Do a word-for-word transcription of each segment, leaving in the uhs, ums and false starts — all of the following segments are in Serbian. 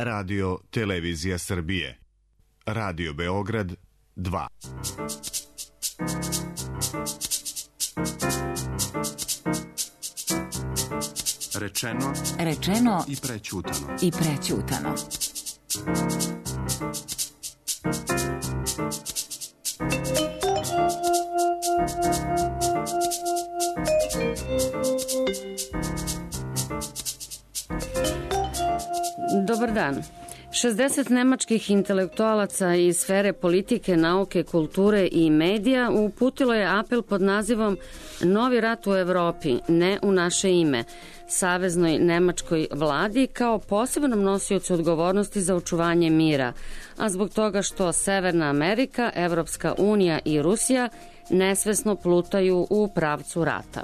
Radio Televizija Srbije. Radio Beograd dva. Rečeno, rečeno i prećutano. I prećutano. Dobar dan. šezdeset nemačkih intelektualaca iz sfere politike, nauke, kulture i medija uputilo je apel pod nazivom Novi rat u Evropi, ne u naše ime, saveznoj nemačkoj vladi kao posebnom nosiocu odgovornosti za očuvanje mira, a zbog toga što Severna Amerika, Evropska unija i Rusija nesvesno plutaju u pravcu rata.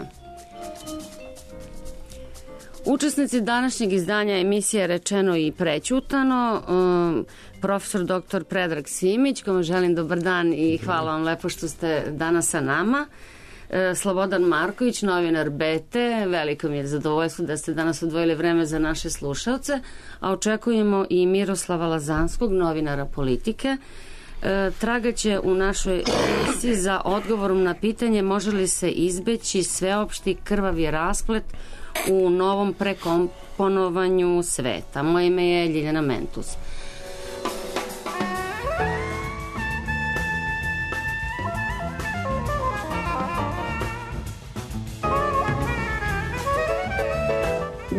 Učesnici današnjeg izdanja emisije Rečeno i prećutano, um, profesor doktor Predrag Simić, kome želim dobar dan i hvala vam lepo što ste danas sa nama. E, Slobodan Marković, novinar B T, veliko mi je zadovoljstvo da ste danas odvojili vreme za naše slušalce, a očekujemo i Miroslava Lazanskog, novinara politike. E, tragaće u našoj emisiji za odgovorom na pitanje može li se izbeći sveopšti krvavi rasplet u novom prekomponovanju sveta. Moje ime je Ljiljana Mentus.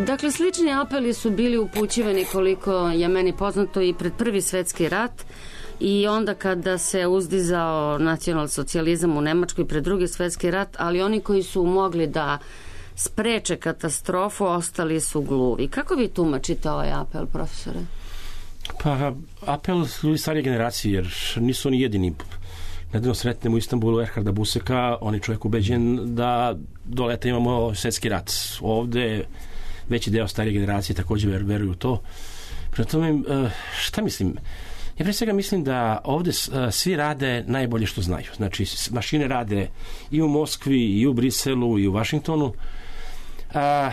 Dakle, slični apeli su bili upućivani, koliko je meni poznato, i pred Prvi svetski rat i onda kada se uzdizao nacionalsocijalizam u Nemačkoj pred Drugi svetski rat, ali oni koji su mogli da spreče katastrofu ostali su gluvi. Kako vi tumačite ovaj apel, profesore? Pa, apel ljudi starije generacije, jer nisu oni jedini. Nedavno sretnemo u Istanbulu Erharda Buseka, on je čovjek ubeđen da do leta imamo svjetski rat. Ovde veći deo starije generacije također veruju u to. Prema tome, šta mislim? Ja pre svega mislim da ovde svi rade najbolje što znaju. Znači, mašine rade i u Moskvi, i u Briselu, i u Vašingtonu. A,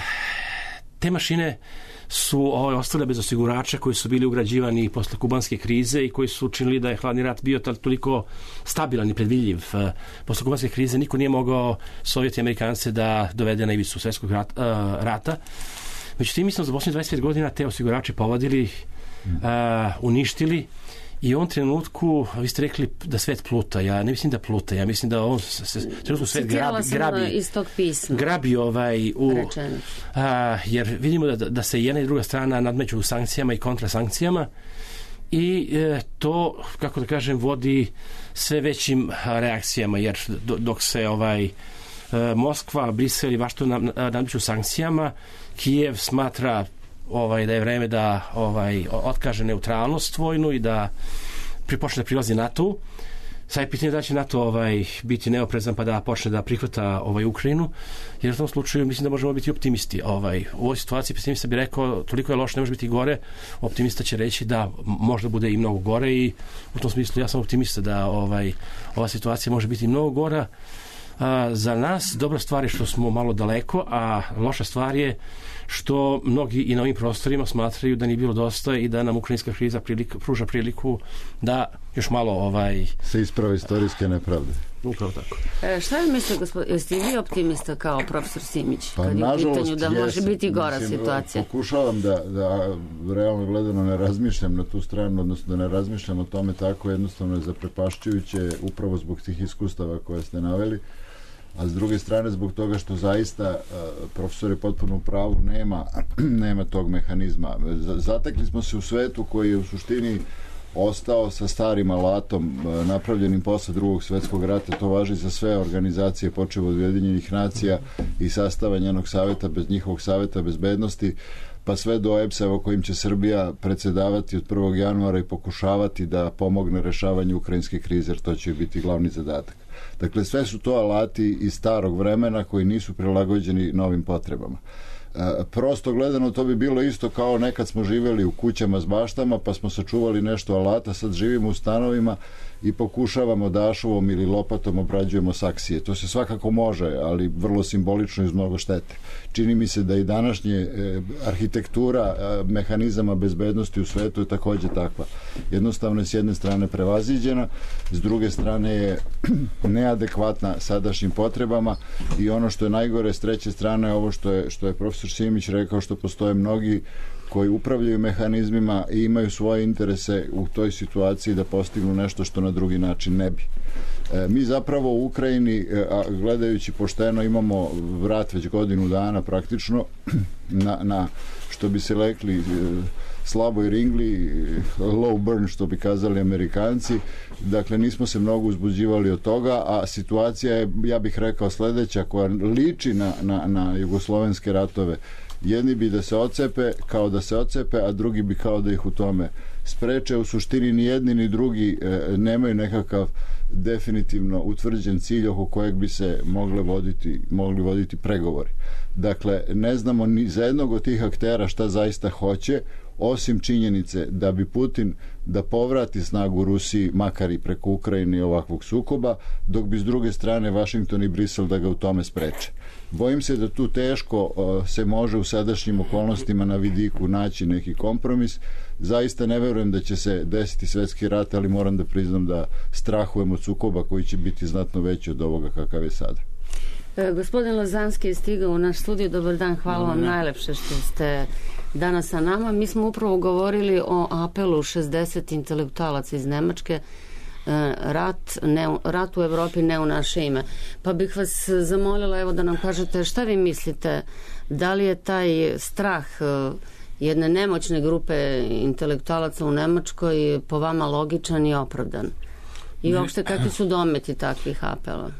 te mašine su ovaj, ostale bez osigurača koji su bili ugrađivani posle kubanske krize i koji su učinili da je hladni rat bio toliko stabilan i predvidljiv. Posle kubanske krize niko nije mogao Sovjeti i Amerikance da dovede na ivicu svjetskog rat, a, rata. Međutim, mislim, za posljednjih dvadeset pet godina te osigurače povadili, a, uništili. I u ovom trenutku, vi ste rekli da svet pluta, ja ne mislim da pluta, ja mislim da on se, trenutno svet grabi, grabi, iz tog pisma. grabi ovaj, u, a, jer vidimo da, da se jedna i druga strana nadmeću u sankcijama i kontrasankcijama i e, to, kako da kažem, vodi sve većim reakcijama, jer do, dok se ovaj, e, Moskva, Brisel i Vašington nadmeću sankcijama, Kijev smatra ovaj, da je vreme da ovaj, otkaže neutralnost vojnu i da počne da prilazi NATO. Sad je pitanje da će NATO ovaj, biti neoprezan pa da počne da prihvata ovaj, Ukrajinu, jer u tom slučaju mislim da možemo biti optimisti. Ovaj, u ovoj situaciji pesimista bi rekao toliko je loše, ne može biti gore. Optimista će reći da možda bude i mnogo gore i u tom smislu ja sam optimista da ovaj, ova situacija može biti mnogo gora. A, za nas dobra stvar je što smo malo daleko, a loša stvar je što mnogi i na ovim prostorima smatraju da nije bilo dosta i da nam ukrajinska kriza prilika, pruža priliku da još malo ovaj... se isprave istorijske nepravde. Upravo tako. E, šta vi mislite, gospod, jeste vi optimista kao profesor Simić? Pa, kad je u pitanju da jes, može biti gora mislim, situacija? Pokušavam da, da realno gledano ne razmišljam na tu stranu, odnosno da ne razmišljam o tome tako, jednostavno je zaprepašćujuće upravo zbog tih iskustava koje ste naveli. A s druge strane zbog toga što zaista profesor je potpuno u pravu, nema, nema tog mehanizma. Zatekli smo se u svetu koji je u suštini ostao sa starim alatom napravljenim posle drugog svjetskog rata. To važi za sve organizacije počev od Ujedinjenih nacija i sastava njenog savjeta bez njihovog savjeta bezbednosti pa sve do E P S-a kojim će Srbija predsjedavati od prvog januara i pokušavati da pomogne rešavanju ukrajinske krize, jer to će biti glavni zadatak. Dakle, sve su to alati iz starog vremena koji nisu prilagođeni novim potrebama. Prosto gledano to bi bilo isto kao nekad smo živjeli u kućama s baštama pa smo sačuvali nešto alata, sad živimo u stanovima i pokušavamo dašovom ili lopatom obrađujemo saksije. To se svakako može, ali vrlo simbolično iz mnogo štete. Čini mi se da i današnje e, arhitektura e, mehanizama bezbednosti u svetu je takođe takva. Jednostavno je s jedne strane prevaziđena, s druge strane je neadekvatna sadašnjim potrebama i ono što je najgore s treće strane ovo što je, što je profesor Simić rekao, što postoje mnogi koji upravljaju mehanizmima i imaju svoje interese u toj situaciji da postignu nešto što na drugi način ne bi. E, mi zapravo u Ukrajini, a gledajući pošteno, imamo vrat već godinu dana praktično na, na što bi se rekli slaboj ringli, low burn što bi kazali Amerikanci. Dakle, nismo se mnogo uzbuđivali od toga, a situacija je, ja bih rekao, sledeća koja liči na, na, na jugoslovenske ratove. Jedni bi da se ocepe kao da se ocepe, a drugi bi kao da ih u tome spreče. U suštini ni jedni ni drugi e, nemaju nekakav definitivno utvrđen cilj oko kojeg bi se mogle voditi, mogli voditi pregovori. Dakle, ne znamo ni za jednog od tih aktera šta zaista hoće, osim činjenice da bi Putin da povrati snagu Rusiji, makar i preko Ukrajine i ovakvog sukoba, dok bi s druge strane Vašington i Brisel da ga u tome spreče. Bojim se da tu teško uh, se može u sadašnjim okolnostima na vidiku naći neki kompromis. Zaista ne verujem da će se desiti svetski rat, ali moram da priznam da strahujem od sukoba koji će biti znatno veći od ovoga kakav je sada. E, gospodin Lazanski je stigao u naš studio. Dobar dan, hvala vam najlepše što ste danas sa nama. Mi smo upravo govorili o apelu šezdeset intelektualaca iz Nemačke, rat, ne, rat u Evropi ne u naše ime. Pa bih vas zamolila evo da nam kažete šta vi mislite, da li je taj strah jedne nemoćne grupe intelektualaca u Nemačkoj po vama logičan i opravdan? I uopšte kakvi su dometi takvih apela?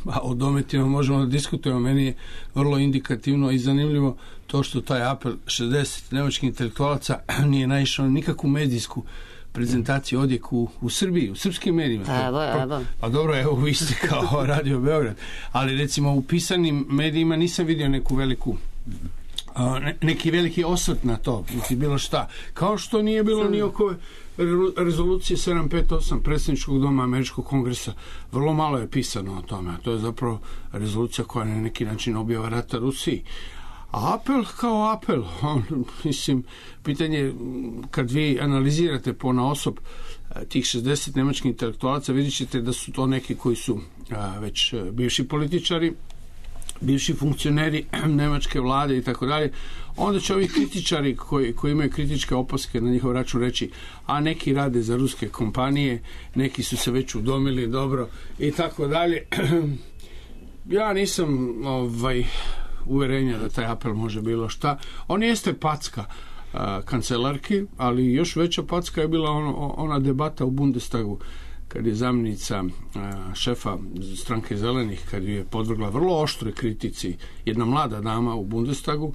A o dometima možemo da diskutujemo. Meni je vrlo indikativno i zanimljivo to što taj apel šezdeset nemačkih intelektualaca nije naišao na nikakvu medijsku prezentaciju, odjek u, u Srbiji, u srpskim medijima. Evo, evo. Pa dobro, evo vi ste kao Radio Beograd. Ali recimo u pisanim medijima nisam vidio neku veliku ne, neki veliki osvrt na to, niti bilo šta. Kao što nije bilo ni oko rezolucije sedam pet osam predsjedničkog doma Američkog kongresa. Vrlo malo je pisano o tome. To je zapravo rezolucija koja na neki način objava rata Rusiji. A apel kao apel, on, mislim, pitanje, kad vi analizirate ponaosob tih šezdeset nemačkih intelektualaca, vidjet ćete da su to neki koji su a, već bivši političari, bivši funkcioneri nemačke vlade i tako dalje. Onda će ovi kritičari koji, koji imaju kritičke opaske na njihov račun reći, a neki rade za ruske kompanije, neki su se već udomili dobro i tako dalje. Ja nisam ovaj uverenja da taj apel može bilo šta. On jeste packa a, kancelarki, ali još veća packa je bila ono, ona debata u Bundestagu kad je zamjenica a, šefa stranke Zelenih, kad je podvrgla vrlo oštroj kritici jedna mlada dama u Bundestagu,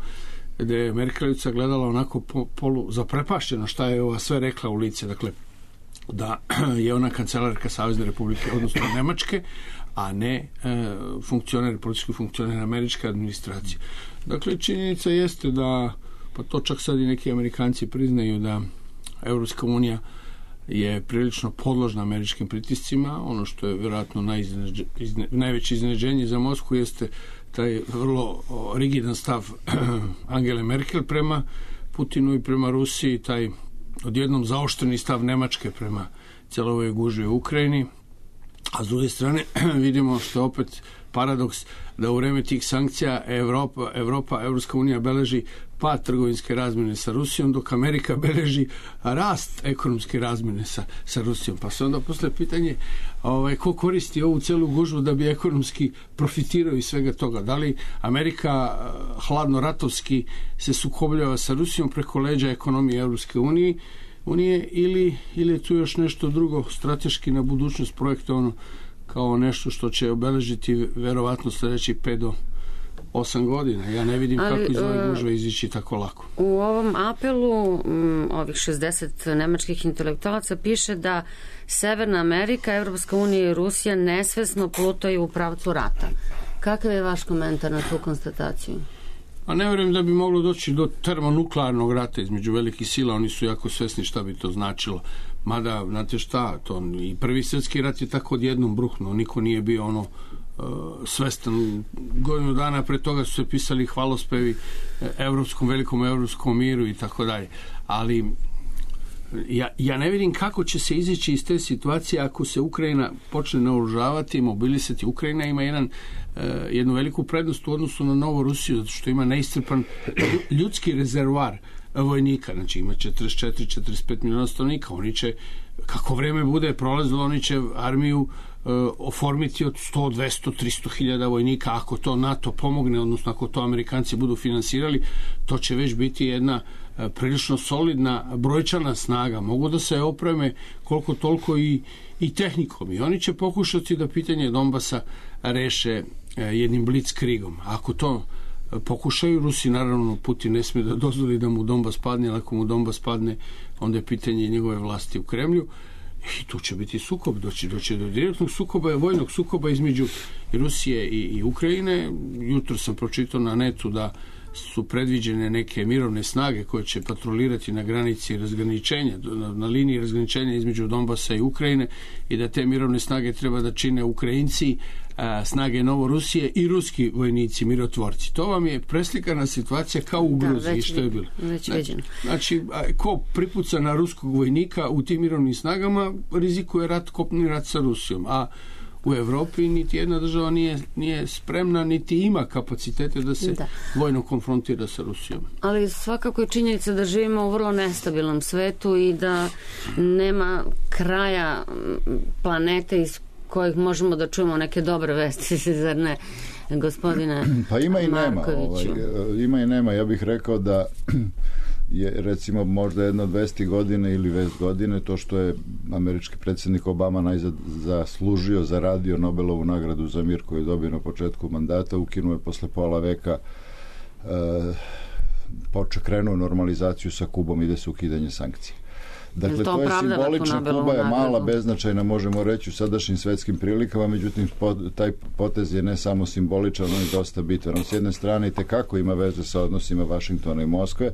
gde je Merkelica gledala onako po, polu zaprepašćeno šta je ova sve rekla u lice. Dakle, da je ona kancelarka Savezne Republike, odnosno Nemačke, a ne e, funkcioner, politički funkcioner američke administracije. Dakle, činjenica jeste da, pa to čak sad i neki Amerikanci priznaju da Evropska unija je prilično podložna američkim pritiscima. Ono što je vjerojatno najizneđe, izne, najveće iznenađenje za Moskvu jeste taj vrlo o, rigidan stav Angele Merkel prema Putinu i prema Rusiji, taj odjednom zaoštreni stav Nemačke prema celovoj gužvi u Ukrajini. A s druge strane vidimo što je opet paradoks da u vreme tih sankcija Evropa, Evropa, Evropska unija beleži pad trgovinske razmjene sa Rusijom, dok Amerika beleži rast ekonomske razmjene sa, sa Rusijom. Pa se onda posle pitanje ovaj, ko koristi ovu celu gužvu da bi ekonomski profitirao iz svega toga. Da li Amerika hladno ratovski se sukobljava sa Rusijom preko leđa ekonomije Evropske unije, unije ili, ili je tu još nešto drugo strateški na budućnost projektovano kao nešto što će obeležiti verovatno sljedećih pet do osam godina. Ja ne vidim ali, kako iz ove gužve izići tako lako. U ovom apelu m, ovih šezdeset nemačkih intelektualaca piše da Severna Amerika, Evropska unija i Rusija nesvesno plutaju u pravcu rata. Kakav je vaš komentar na tu konstataciju? A ne vjerujem da bi moglo doći do termonuklearnog rata između velikih sila, oni su jako svesni šta bi to značilo. Mada, znate šta, to i prvi svjetski rat je tako odjednom bruhnuo, niko nije bio ono uh, svestan. Godinu dana pre toga su se pisali hvalospevi evropskom, velikom evropskom miru i tako dalje. Ali ja, ja ne vidim kako će se izaći iz te situacije ako se Ukrajina počne naoružavati i mobilisati. Ukrajina ima jedan, uh, jednu veliku prednost u odnosu na Novu Rusiju, zato što ima neiscrpan ljudski rezervoar vojnika, znači ima četrdeset četiri do četrdeset pet miliona stanovnika. Oni će, kako vreme bude prolazilo, oni će armiju uh, oformiti od sto, dvesta, trista hiljada vojnika. Ako to NATO pomogne, odnosno ako to Amerikanci budu finansirali, to će već biti jedna uh, prilično solidna brojčana snaga. Mogu da se opreme koliko toliko i, i tehnikom. I oni će pokušati da pitanje Donbasa reše uh, jednim blitzkriegom. Ako to pokušaju, Rusi, naravno, Putin ne smije da dozvoli da mu Donbas padne, ali ako mu Donbas padne, onda je pitanje njegove vlasti u Kremlju i tu će biti sukob, doći, doći do direktnog sukoba, vojnog sukoba između Rusije i, i Ukrajine. Jutro sam pročitao na netu da su predviđene neke mirovne snage koje će patrolirati na granici razgraničenja, na, na liniji razgraničenja između Donbasa i Ukrajine, i da te mirovne snage treba da čine Ukrajinci, a, snage Novorusije i ruski vojnici, mirotvorci. To vam je preslikana situacija kao u Gruziji, što je bilo. Već viđeno. Znači, a, ko pripuca na ruskog vojnika u tim mirovnim snagama, rizikuje rat, kopni rat sa Rusijom. A u Evropi niti jedna država nije, nije spremna, niti ima kapacitete da se da. vojno konfrontira sa Rusijom. Ali svakako je činjenica da živimo u vrlo nestabilnom svetu i da nema kraja planete iz kojih možemo da čujemo neke dobre vesti, zar ne, gospodine Pa ima i nema. Markoviću? Ovaj, ima i nema. Ja bih rekao da je recimo možda jedno dvesta godine ili vest godine to što je američki predsjednik Obama najzad zaslužio, zaradio Nobelovu nagradu za mir koju je dobio na početku mandata, ukinuo je posle pola veka e, počeo krenuo normalizaciju sa Kubom, ide se ukidanje sankcija. Dakle, to je simbolično, Kuba je mala, beznačajna, možemo reći, u sadašnjim svetskim prilikama, međutim, taj potez je ne samo simboličan, on je dosta bitan. On s jedne strane i tekako ima veze sa odnosima Vašingtona i Moskve,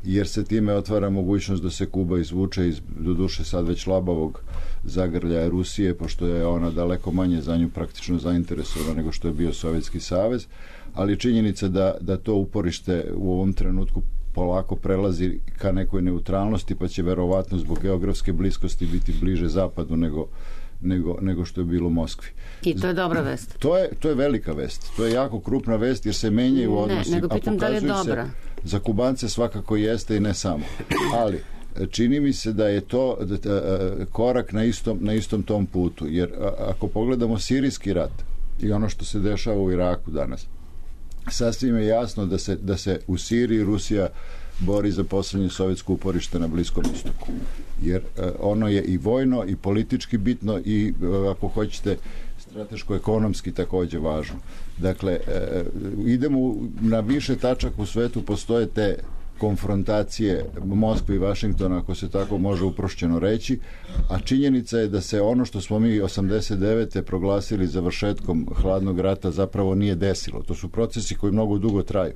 jer se time otvara mogućnost da se Kuba izvuče iz, doduše sad već labavog zagrljaja Rusije, pošto je ona daleko manje za nju praktično zainteresovana nego što je bio Sovjetski savez, ali činjenica da, da to uporište u ovom trenutku polako prelazi ka nekoj neutralnosti, pa će verovatno zbog geografske bliskosti biti bliže zapadu nego, nego, nego što je bilo u Moskvi. I to je dobra vest. To je, to je velika vest. To je jako krupna vest jer se menjaju odnosi. Ne, nego pitam da li je dobra. Se, za Kubance svakako jeste i ne samo. Ali čini mi se da je to da, da, korak na istom, na istom tom putu. Jer a, ako pogledamo sirijski rat i ono što se dešava u Iraku danas, sasvim je jasno da se, da se u Siriji Rusija bori za poslednje sovjetsko uporište na Bliskom istoku. Jer uh, ono je i vojno i politički bitno i, uh, ako hoćete, strateško-ekonomski takođe važno. Dakle, uh, idemo na više tačaka u svetu, postoje te konfrontacije Moskve i Vašingtona, ako se tako može uprošćeno reći, a činjenica je da se ono što smo mi osamdeset devete proglasili završetkom hladnog rata zapravo nije desilo. To su procesi koji mnogo dugo traju.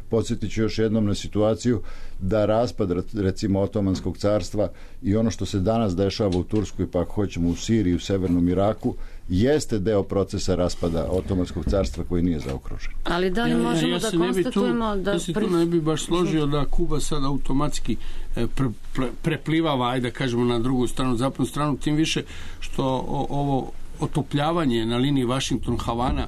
Podsjetit ću još jednom na situaciju da raspad, recimo, Otomanskog carstva i ono što se danas dešava u Turskoj, pa ako hoćemo u Siriji, u severnom Iraku, jeste deo procesa raspada Otomanskog carstva koji nije zaokružen. Ali da li možemo ja, ja da konstatujemo tu, da... Ja se tu ne bi baš složio da Kuba sad automatski pre, pre, preplivava, ajde da kažemo, na drugu stranu, zapadnu stranu, tim više što o, ovo otopljavanje na liniji Washington-Havana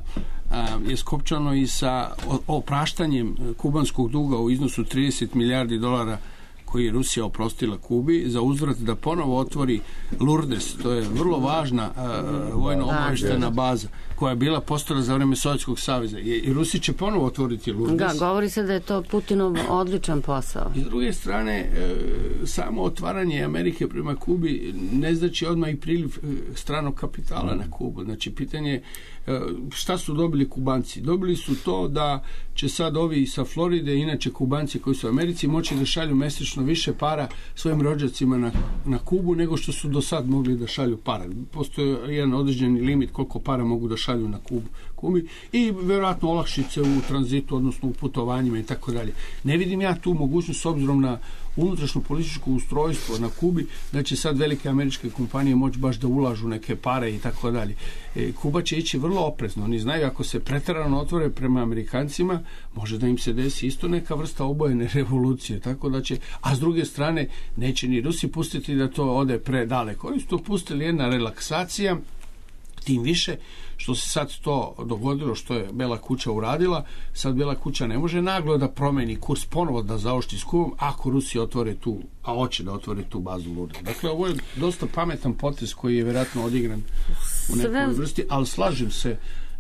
je skopčano i sa opraštanjem kubanskog duga u iznosu trideset milijardi dolara koji je Rusija oprostila Kubi za uzvrat da ponovo otvori Lourdes. To je vrlo važna uh, vojno obaveštena baza koja je bila postala za vreme Sovjetskog saveza. I, i Rusi će ponovo otvoriti Lourdes. Da, govori se da je to Putinov odličan posao. I s druge strane, uh, samo otvaranje Amerike prema Kubi ne znači odmah i priliv uh, stranog kapitala na Kubu. Znači, pitanje šta su dobili Kubanci? Dobili su to da će sad ovi sa Floride, inače Kubanci koji su u Americi, moći da šalju mesečno više para svojim rođacima na, na Kubu nego što su do sad mogli da šalju para. Postoji jedan određeni limit koliko para mogu da šalju na Kubu, Kubi i vjerojatno olakšice u tranzitu, odnosno u putovanjima i tako dalje. Ne vidim ja tu mogućnost s obzirom na unutrašnjo političko ustrojstvo na Kubi da će sad velike američke kompanije moći baš da ulažu neke pare i tako dalje. E, Kuba će ići vrlo oprezno. Oni znaju ako se preterano otvore prema Amerikancima, može da im se desi isto neka vrsta obojene revolucije, tako da će, a s druge strane neće ni Rusi pustiti da to ode predaleko. Oni su to pustili jedna relaksacija, tim više što se sad to dogodilo, što je Bela kuća uradila. Sad Bela kuća ne može naglo da promeni kurs, ponovo da zaoštri s Kubom ako Rusi otvore tu, a hoće da otvore tu bazu Lourdes. Dakle, ovo je dosta pametan potez koji je vjerojatno odigran u nekoj vrsti, ali slažem se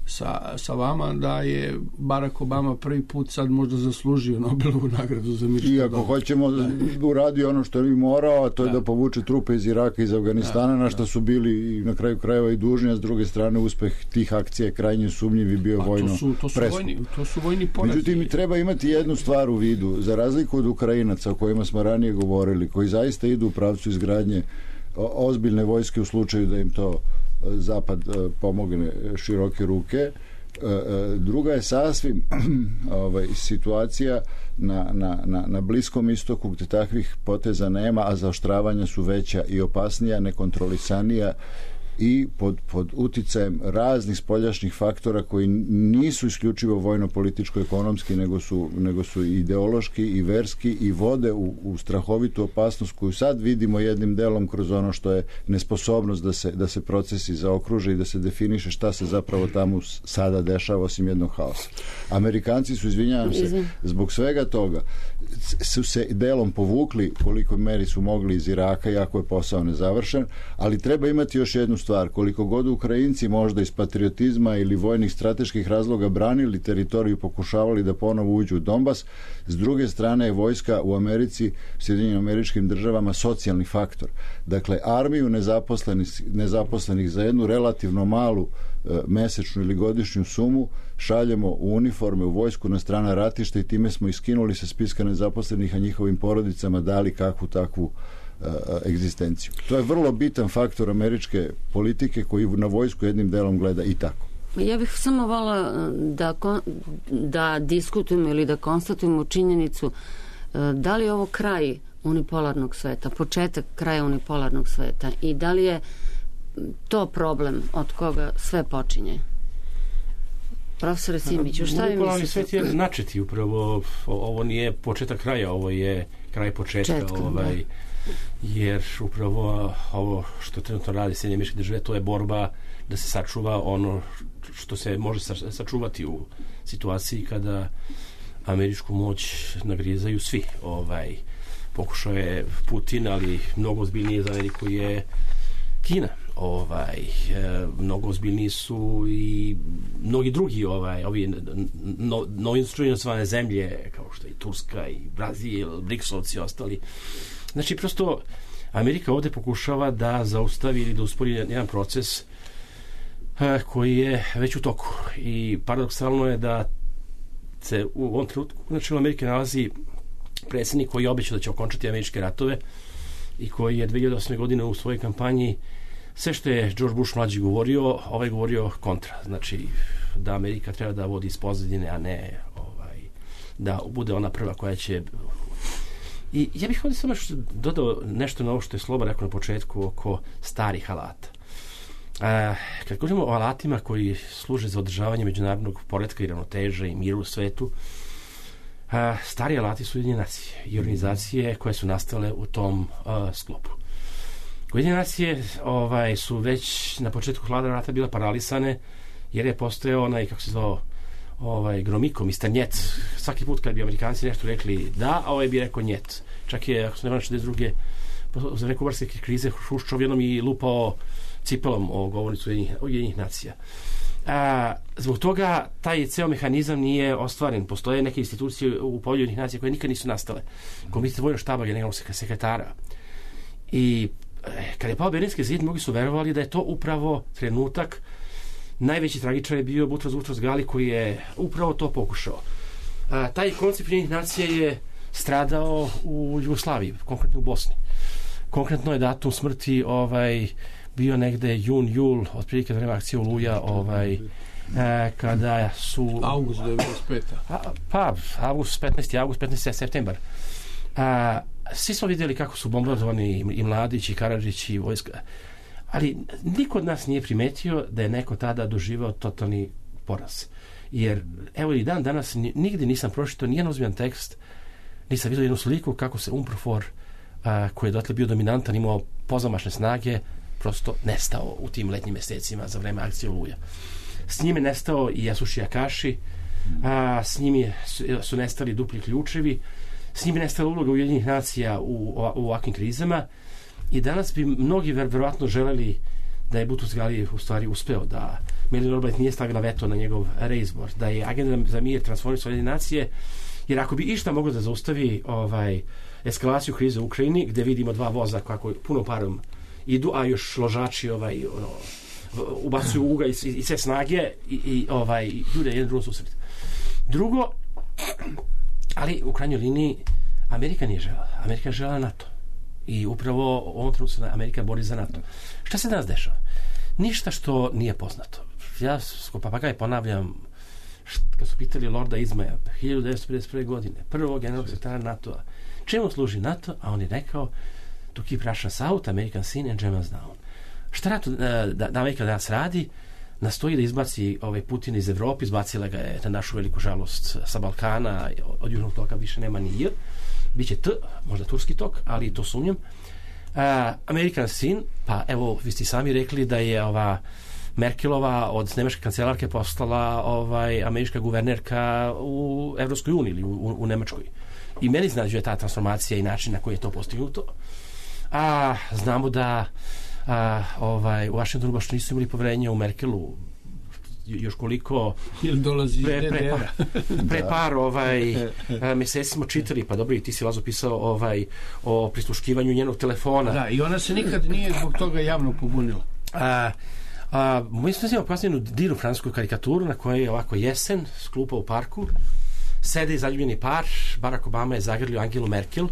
sa, sa vama da je Barack Obama prvi put sad možda zaslužio Nobelovu nagradu za mir. I ako hoćemo da uradi ono što je morao, a to je da, da povuče trupe iz Iraka i iz Afganistana, da, na što da. su bili i na kraju krajeva i dužni, a s druge strane uspeh tih akcija je krajnje sumnjiv i bio a vojno to su, to su vojni, to su vojni porazi. Međutim, treba imati jednu stvar u vidu, za razliku od Ukrajinaca o kojima smo ranije govorili, koji zaista idu u pravcu izgradnje ozbiljne vojske u slučaju da im to Zapad pomogne široke ruke. Druga je sasvim ovaj, situacija na, na, na, na Bliskom istoku gdje takvih poteza nema, a zaoštravanja su veća i opasnija, nekontrolisanija i pod, pod uticajem raznih spoljašnjih faktora koji nisu isključivo vojno-političko-ekonomski, nego su, nego su ideološki i verski i vode u, u strahovitu opasnost koju sad vidimo jednim delom kroz ono što je nesposobnost da se, da se procesi zaokruže i da se definiše šta se zapravo tamo sada dešava osim jednog haosa. Amerikanci su, izvinjavam se, zbog svega toga su se delom povukli koliko meri su mogli iz Iraka, iako je posao nezavršen, ali treba imati još jednu stvar. Koliko god Ukrajinci možda iz patriotizma ili vojnih strateških razloga branili teritoriju, pokušavali da ponovo uđu u Donbas, s druge strane je vojska u Americi, Sjedinjenim Američkim Državama socijalni faktor. Dakle, armiju nezaposlenih, nezaposlenih za jednu relativno malu e, mesečnu ili godišnju sumu šaljemo u uniforme, u vojsku na strana ratišta i time smo iskinuli sa spiska nezaposlenih, a njihovim porodicama dali kakvu takvu uh, egzistenciju. To je vrlo bitan faktor američke politike koji na vojsku jednim delom gleda i tako. Ja bih samo volila da, da diskutujemo ili da konstatujemo činjenicu da li je ovo kraj unipolarnog sveta, početak kraja unipolarnog sveta i da li je to problem od koga sve počinje. Profesore Simiću, šta vi mislite? Unipolarni svet je načeti upravo, ovo nije početak kraja, ovo je kraj početka, Četkom, ovaj, jer upravo ovo što trenutno radi Sjedinjene Američke Države, to je borba da se sačuva ono što se može sačuvati u situaciji kada američku moć nagrizaju svi. Ovaj, pokušao je Putin, ali mnogo ozbiljnije za Ameriku je Kina. Ovaj, e, mnogo ozbiljniji su i mnogi drugi ovaj, ovi no, novinstrujenosvane zemlje kao što je i Turska i Brazil, Briksovci i ostali. Znači, prosto Amerika ovdje pokušava da zaustavi ili da uspori jedan proces e, koji je već u toku i paradoksalno je da se u ovom trenutku na čelu Amerike nalazi predsjednik koji je obećao da će okončati američke ratove i koji je dve hiljade osme godine u svojoj kampanji sve što je George Bush mlađi govorio, ovaj govorio kontra. Znači, da Amerika treba da vodi iz pozadine, a ne ovaj, da bude ona prva koja će... I ja bih ovdje samo dodao nešto na ovo što je Sloba rekao na početku oko starih alata. A, kad govorimo o alatima koji služe za održavanje međunarodnog poretka i ravnoteže i miru u svetu, a, stari alati su Ujedinjene nacije i organizacije koje su nastale u tom a, sklopu. Ujedinjene nacije ovaj, su već na početku hladnog rata bila paralisane jer je postojao onaj, kako se zvao, ovaj, Gromiko, mister Njet. Svaki put kad bi Amerikanci nešto rekli da, a ovaj bi rekao njet. Čak je, ako se ne vrlo šezdeset druge za vreme kubarske krize Hruščov jednom i lupao cipelom o govornicu Ujedinjenih nacija. A, zbog toga taj ceo mehanizam nije ostvaren. Postoje neke institucije u polju Ujedinjenih nacija koje nikad nisu nastale. Komitet vojnog štaba generalnog sekretara. I kada je pao Berlinski zid, mnogi su verovali da je to upravo trenutak. Najveći tragičar je bio Boutros Boutros Ghali koji je upravo to pokušao. A, taj koncept Ujedinjenih nacija je stradao u Jugoslaviji, konkretno u Bosni. Konkretno je datum smrti ovaj, bio negde jun, jul, otprilike vreme akcije Oluja, ovaj, e, kada su... August devedeset peta. A, pa, avgust, petnaesti avgust, petnaesti septembar. A, svi smo vidjeli kako su bombardovani i Mladić i Karadžić i vojska. Ali niko od nas nije primetio da je neko tada doživao totalni poraz. Jer, evo i dan danas, nigdje nisam pročitao nijedan ozbiljan tekst, nisam vidio jednu sliku kako se UNPROFOR, a, koji je dotle bio dominantan, imao pozamašne snage, prosto nestao u tim letnjim mjesecima za vreme akcije Oluja. S njime nestao i Yasushi Akashi, a, s njimi su, su nestali dupli ključevi, s njime nestala uloga Ujedinjenih nacija u, u, u ovakvim krizama i danas bi mnogi ver, verovatno želeli da je Boutros Ghali u stvari uspeo, da Melinda Albright nije stavila veto na njegov reizbor, da je agenda za mir transformisao Ujedinjene nacije, jer ako bi išta moglo da zaustavi ovaj, eskalaciju krize u Ukrajini, gde vidimo dva voza kako puno parom idu, a još ložači ovaj, ono, ubacuju uga i, i sve snage i, i ovaj, ljude jedan drugom susret. Drugo, ali u krajnjoj liniji Amerika nije žela. Amerika je žela NATO. I upravo u ovom trenutku se Amerika bori za NATO. Šta se danas dešava? Ništa što nije poznato. Ja ko papagaj ponavljam, št, kad su pitali Lorda Izmaja hiljadu devetsto pedeset prve. godine, prvog generalnog sekretara NATO-a, čemu služi NATO? A on je rekao, to keep Russia south, American seen and Germans down. Šta NATO, da, da Amerika danas radi? Nastoji da izbaci ovaj Putin iz Evrope, izbacila ga je na našu veliku žalost sa Balkana, od južnog toka više nema ni J, biće T, možda turski tok, ali to sumnjam. Uh, American sin, pa evo, vi ste sami rekli da je ova Merkelova od nemačke kancelarke postala ovaj, američka guvernerka u Evropskoj uniji ili u, u, u Nemačkoj. I meni znađuje ta transformacija i način na koji je to postignuto. A znamo da a, ovaj, u Washingtonu baš nisu imali poverenja u Merkelu, još koliko ili dolazi pre, pre, par, pre par ovaj, mjeseci smo čitali, pa dobro, i ti si, Lazo, pisao ovaj, o prisluškivanju njenog telefona. Da, i ona se nikad nije zbog toga javno pobunila. A, a, mi smo imali kasnije jednu divnu francusku karikaturu na kojoj je ovako jesen, sklupa u parku, sede zaljubljeni par, Barack Obama je zagrlio Angelu Merkel,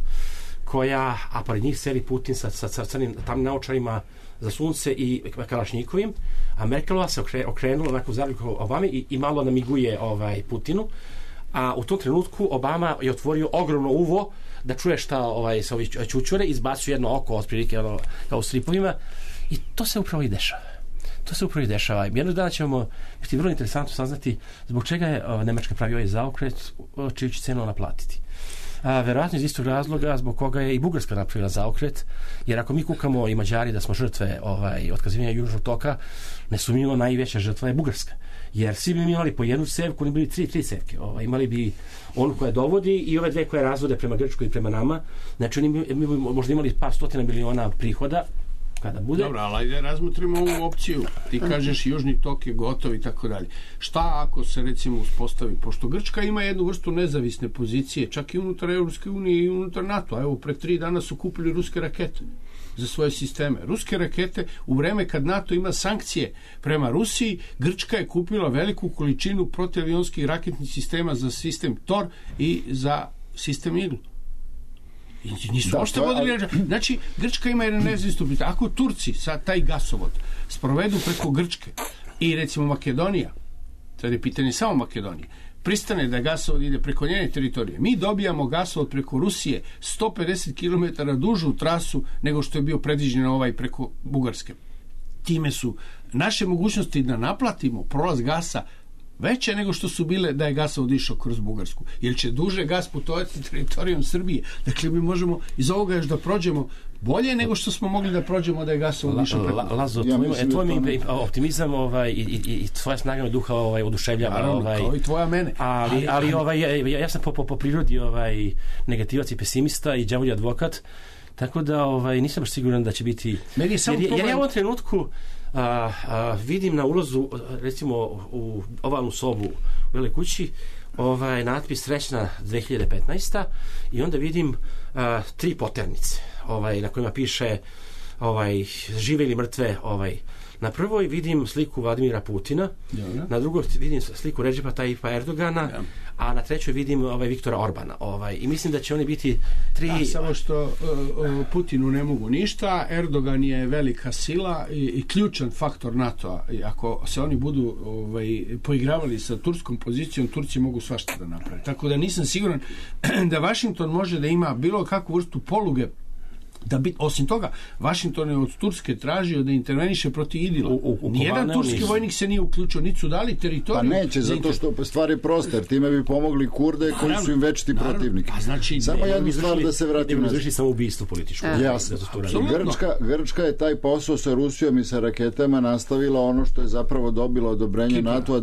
koja, a pored njih sedi Putin sa, sa, sa crnim tamnim naočarima za sunce i Kalašnjikovim, a Merkelova se okre, okrenula onako zaljubljeno Obame i, i malo namiguje ovaj, Putinu, a u tom trenutku Obama je otvorio ogromno uvo da čuje šta ovaj, sa ovi čučure, izbacio jedno oko otprilike ono, kao u stripovima i to se upravo i dešava. To se upravo i dešava. Jednog dana ćemo biti vrlo interesantno saznati zbog čega je o, Nemačka pravi ovaj zaokret, čiju će cenu naplatiti. A, verovatno iz istog razloga zbog koga je i Bugarska napravila zaokret, jer ako mi kukamo i Mađari da smo žrtve ovaj, otkazivanja južnog toka, nesumnjivo najveća žrtva je Bugarska. Jer svi bi imali po jednu cevku, oni bili tri, tri cevke. Ovaj, imali bi onu koja dovodi i ove dve koje razvode prema Grčkoj i prema nama. Znači oni mi, mi bi možda imali par stotina miliona prihoda kada bude. Dobro, ali ajde razmotrimo ovu opciju. Ti kažeš južni tok je gotov i tako dalje. Šta ako se recimo uspostavi? Pošto Grčka ima jednu vrstu nezavisne pozicije, čak i unutar Europske unije i unutar NATO. Evo, pre tri dana su kupili ruske rakete za svoje sisteme. Ruske rakete u vreme kad NATO ima sankcije prema Rusiji, Grčka je kupila veliku količinu protivavionskih raketnih sistema za sistem Tor i za sistem Eagle. I nisu ošte vodili. Znači, Grčka ima jedan nezavisno pitanje. Ako Turci sad taj gasovod sprovedu preko Grčke i recimo Makedonija, sad je pitanje samo Makedonije, pristane da gasovod ide preko njene teritorije, mi dobijamo gasovod preko Rusije sto pedeset kilometara dužu trasu nego što je bio predviđen ovaj preko Bugarske. Time su naše mogućnosti da naplatimo prolaz gasa veće nego što su bile da je gasovod išao kroz Bugarsku. Jer će duže gas putovati teritorijom Srbije. Dakle, mi možemo iz ovoga još da prođemo bolje nego što smo mogli da prođemo da je gasovod išao preko. La, Lazo, ja tvoj, tvoj mi mi optimizam ovaj, i, i, i tvoja snaga me duha ovaj, oduševljava. Naravno, ovaj, kao i tvoja mene. Ali, ali, ali ovaj, ja, ja sam po, po, po prirodi ovaj, negativac i pesimista i đavolji advokat, tako da ovaj, nisam baš siguran da će biti... Meni je samo jer, problem... jer ja u ovom trenutku A, a, vidim na ulazu recimo u ovalnu sobu u Beloj kući ovaj natpis srećna dve hiljade petnaesta. i onda vidim a, tri poternice ovaj, na kojima piše ovaj, žive ili mrtve. Ovaj. Na prvoj vidim sliku Vladimira Putina, ja, na drugoj vidim sliku Redžepa Tajipa Erdogana, ja, a na trećoj vidim ovaj, Viktora Orbana. Ovaj. I mislim da će oni biti tri... Da, samo što uh, Putinu ne mogu ništa, Erdogan je velika sila i, i ključan faktor NATO-a. I ako se oni budu ovaj, poigravali sa turskom pozicijom, Turci mogu svašta da naprave. Tako da nisam siguran da Washington može da ima bilo kakvu vrstu poluge da bit, osim toga, Washington je od Turske tražio da interveniše protiv Idila. U, u, u Nijedan turski nisu. Vojnik se nije uključio, niti su dali teritoriju. Pa neće, zato inter... što stvar je prosta, jer time bi pomogli Kurde koji su im večiti protivniki. Pa znači, samo jednu stvar da se vratimo. Ne bi izvršili samo ubijstvo političko. Jasno. Grčka, Grčka je taj posao sa Rusijom i sa raketama nastavila ono što je zapravo dobilo odobrenje NATO-a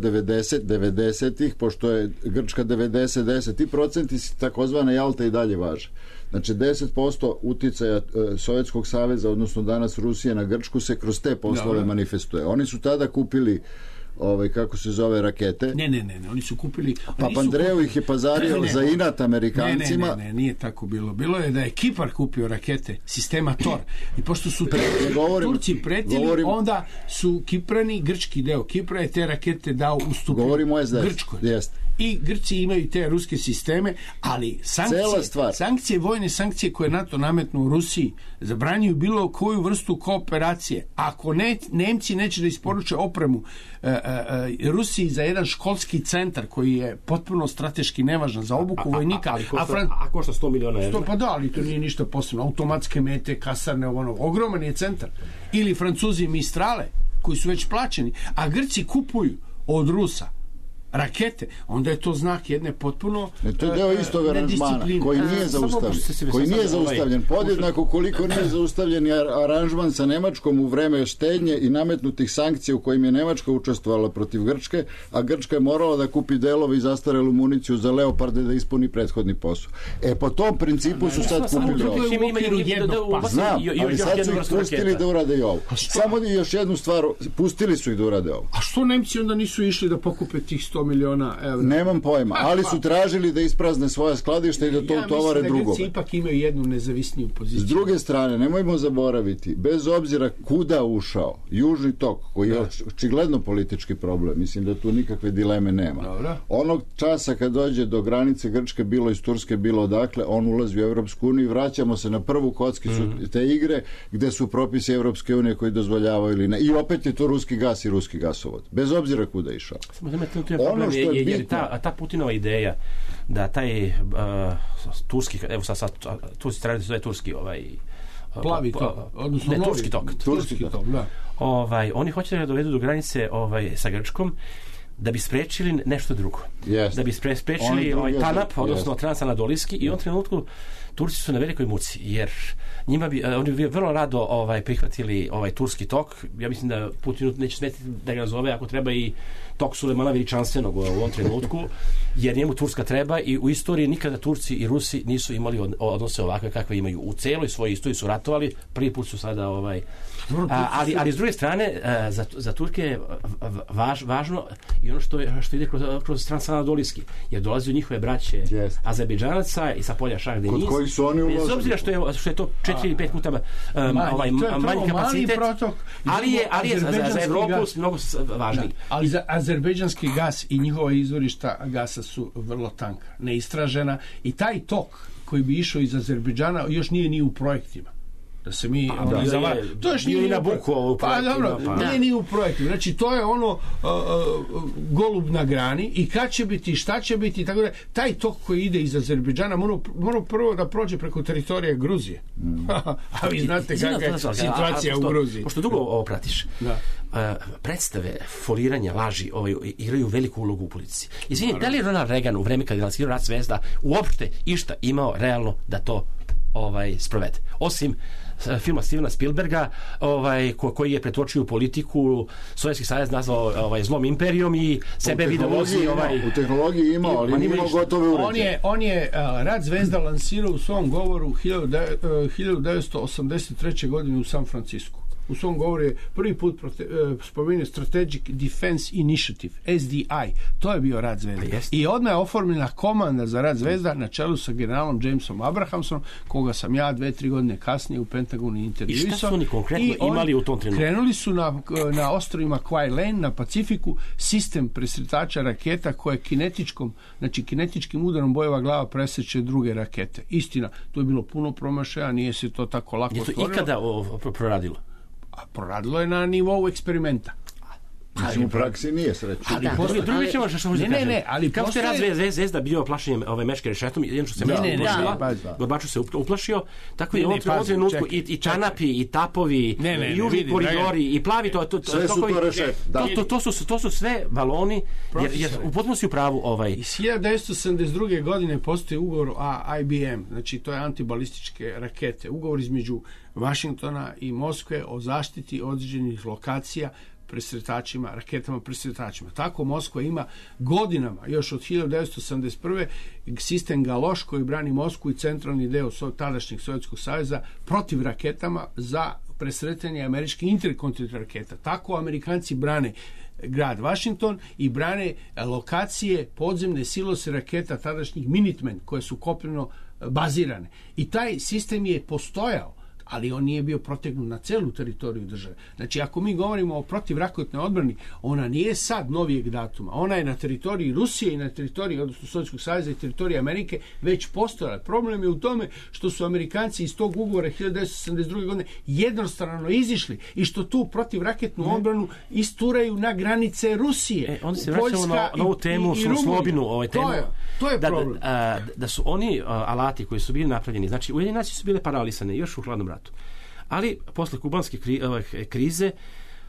devedesetih, pošto je Grčka devedeset deset. Ti procenti takozvane Jalta i dalje važe. Znači deset posto uticaja e, Sovjetskog saveza, odnosno danas Rusije na Grčku se kroz te poslove, da, manifestuje. Oni su tada kupili ovaj, kako se zove, rakete. Ne, ne, ne, ne oni su kupili... Papandreou ih je pazario ne, ne, za inat Amerikancima. Ne, ne, ne, ne, nije tako bilo. Bilo je da je Kipar kupio rakete sistema Tor. I pošto su Pre, govorim, Turci pretili, govorim, onda su Kiprani, grčki deo Kipra je te rakete dao ustupno Grčkoj. Jest. I Grci imaju te ruske sisteme, ali sankcije, sankcije, vojne sankcije koje NATO nametnu u Rusiji zabranjuju bilo koju vrstu kooperacije. Ako ne, Nemci neće da isporuče opremu e, e, Rusiji za jedan školski centar koji je potpuno strateški nevažan za obuku a, vojnika. A, a, a, Fran... a košta sto miliona evra? Pa da, ali to nije ništa posebno. Automatske mete, kasarne, ono, ogroman je centar. Ili Francuzi Mistrale, koji su već plaćeni, a Grci kupuju od Rusa rakete, onda je to znak jedne potpuno ne, to je deo istog aranžmana koji nije zaustavljen, koji nije zaustavljen podjednako koliko nije zaustavljen aranžman sa Nemačkom u vreme štednje i nametnutih sankcija u kojim je Nemačka učestvovala protiv Grčke, a Grčka je morala da kupi delove i zastarelu municiju za Leoparde da ispuni prethodni posao. E po tom principu su sad kupili ovo. Znam, ali sad su ih pustili da urade i ovo. Samo još jednu stvar, pustili su ih da urade ovo. A što Nemci onda nisu išli da pokupe tih sto miliona evra? Nemam pojma, ali su tražili da isprazne svoja skladišta i da to utovare drugome. Ja mislim da Grci ipak imaju jednu nezavisniju poziciju. S druge strane, nemojmo zaboraviti, bez obzira kuda ušao Južni tok, koji je očigledno politički problem, mislim da tu nikakve dileme nema. Dobro. Onog časa kad dođe do granice Grčke, bilo iz Turske, bilo odakle, on ulazi u Evropsku uniju i vraćamo se na prvu kockicu mm. te igre gde su propisi Evropske unije koji dozvoljavaju ili ne. I opet je to ruski gas i ruski gasovod. Bez obzira kuda je išao. Ono što je, je, je ta, ta Putinova ideja da taj uh, turski, evo sad, sad Turci trebali da je turski ovaj plavi tok, odnosno ne, turski tok, turski tok, da. Ovaj, oni hoće da dovedu do granice ovaj, sa Grčkom da bi sprečili nešto drugo. Yes. Da bi spre, sprečili ovaj, TANAP, odnosno yes. Transanadolijski, i u ovom trenutku Turci su na velikoj muci, jer njima bi, oni bi vrlo rado ovaj, prihvatili ovaj turski tok. Ja mislim da Putinu neće smetiti da ga nazove, ako treba, i tok Sulejmana Veličanstvenog u ovom trenutku, jer njemu Turska treba, i u istoriji nikada Turci i Rusi nisu imali odnose ovakve kakve imaju. U celoj svojoj istoriji su ratovali, prvi put su sada ovaj, a, ali, ali s druge strane za, za Turke je važ, važno i ono što, je, što ide kroz, kroz Transanadolijski, jer dolazi u njihove braće yes. Azerbejdžanaca i sa polja Šah Deniz, bez obzira što je, što je to četiri ili pet puta um, manji, ovaj, manji kapacitet, protok, ali je, ali je za, za Evropu mnogo važniji. Da, ali za azerbejdžanski gas i njihova izvorišta gasa su vrlo tanka, neistražena, i taj tok koji bi išao iz Azerbejdžana još nije ni u projektima. Da se mi pa, da, zava... je, to još nije na buku ovo pa dobro, pa. Nije ni u projektu. Znači to je ono uh, uh, golub na grani, i kad će biti, šta će biti, tako da taj tok koji ide iz Azerbejdžana mora, mora prvo da prođe preko teritorije Gruzije. Mm. A vi znate kakva je situacija u Gruziji. Pošto dugo ovo pratiš, da. Uh, predstave, foliranja, laži ovaj, igraju veliku ulogu u politici. Izvini, da li je Ronald Reagan u vreme kad je lansirao Rat zvezda uopšte išta imao realno da to ovaj sprovede? Osim filma Stevena Spielberga, ovaj, ko, koji je pretočio politiku, Sovjetski savez nazvao ovaj, zlom imperijom i sebe video vozi ovaj... U tehnologiji imao, ali nije imao gotove uređaje. On je, on je uh, Rat zvezda lansirao u svom govoru hiljadu devetsto osamdeset treće godine u San Francisku. u svom govoru je prvi put prote, uh, spomenuo Strategic Defense Initiative, S D I. To je bio rad Zvezda. I odmah je oformljena komanda za rad Zvezda na čelu sa generalom Jamesom Abrahamsom, koga sam ja dve, tri godine kasnije u Pentagonu intervjuisao. I šta su oni konkretno imali u tom trenutku? Krenuli su na, na ostrovima Kwai Lane, na Pacifiku, sistem presretača raketa koje kinetičkom, znači kinetičkim udarom bojeva glava preseće druge rakete. Istina, to je bilo puno promašaja, nije se to tako lako otvorilo. Je to ikada o, o, proradilo? A proradilo je na nivou eksperimenta. Ali u praksi nije sreće. Ali da, postoje drugi ćemo što ne, ne, ne, ali kao što je postoje... rad Zvezda bio plašenjem ove meške rešetom, jedno što se ne, meška ne, uplašila, da, da. Gorbačov se uplašio, tako ne, je u ovom pazi, trenutku čekaj, i, i čanapi, i tapovi, ne, ne, i južni vidi, koridori, draga. i plavi, to, to, to, sve su to rešet. To, to, to, su, to su sve baloni, jer, jer u potpunosti u pravu ovaj... Iz hiljadu devetsto sedamdeset druge godine postoji ugovor o I B M, znači to je antibalističke rakete, ugovor između Vašingtona i Moskve o zaštiti određenih lokacija presretačima, raketama presretačima. Tako Moskva ima godinama, još od hiljadu devetsto sedamdeset prve sistem Galoš koji brani Moskvu i centralni deo tadašnjeg Sovjetskog saveza protiv raketama za presretanje američkih interkontinentalnih raketa. Tako Amerikanci brane grad Washington i brane lokacije podzemne silose raketa tadašnjih Minutemen koje su kopneno bazirane. I taj sistem je postojao, ali on nije bio protegnut na celu teritoriju države. Znači, ako mi govorimo o protivraketnoj odbrani, ona nije sad novijeg datuma. Ona je na teritoriji Rusije i na teritoriji, odnosno Sovjetskog saveza i teritoriji Amerike već postojala. Problem je u tome što su Amerikanci iz tog ugovora hiljadu devetsto sedamdeset druge godine jednostrano izišli i što tu protivraketnu odbranu isturaju na granice Rusije. E, onda se vraćamo na, na ovu temu, i, i Slobinu, ovaj temu. To je, to je da, problem. Da, a, da su oni a, alati koji su bili napravljeni, znači Ujedinjene nacije su bile paralisane još u hladnom ratu. Ali posle kubanske kri, krize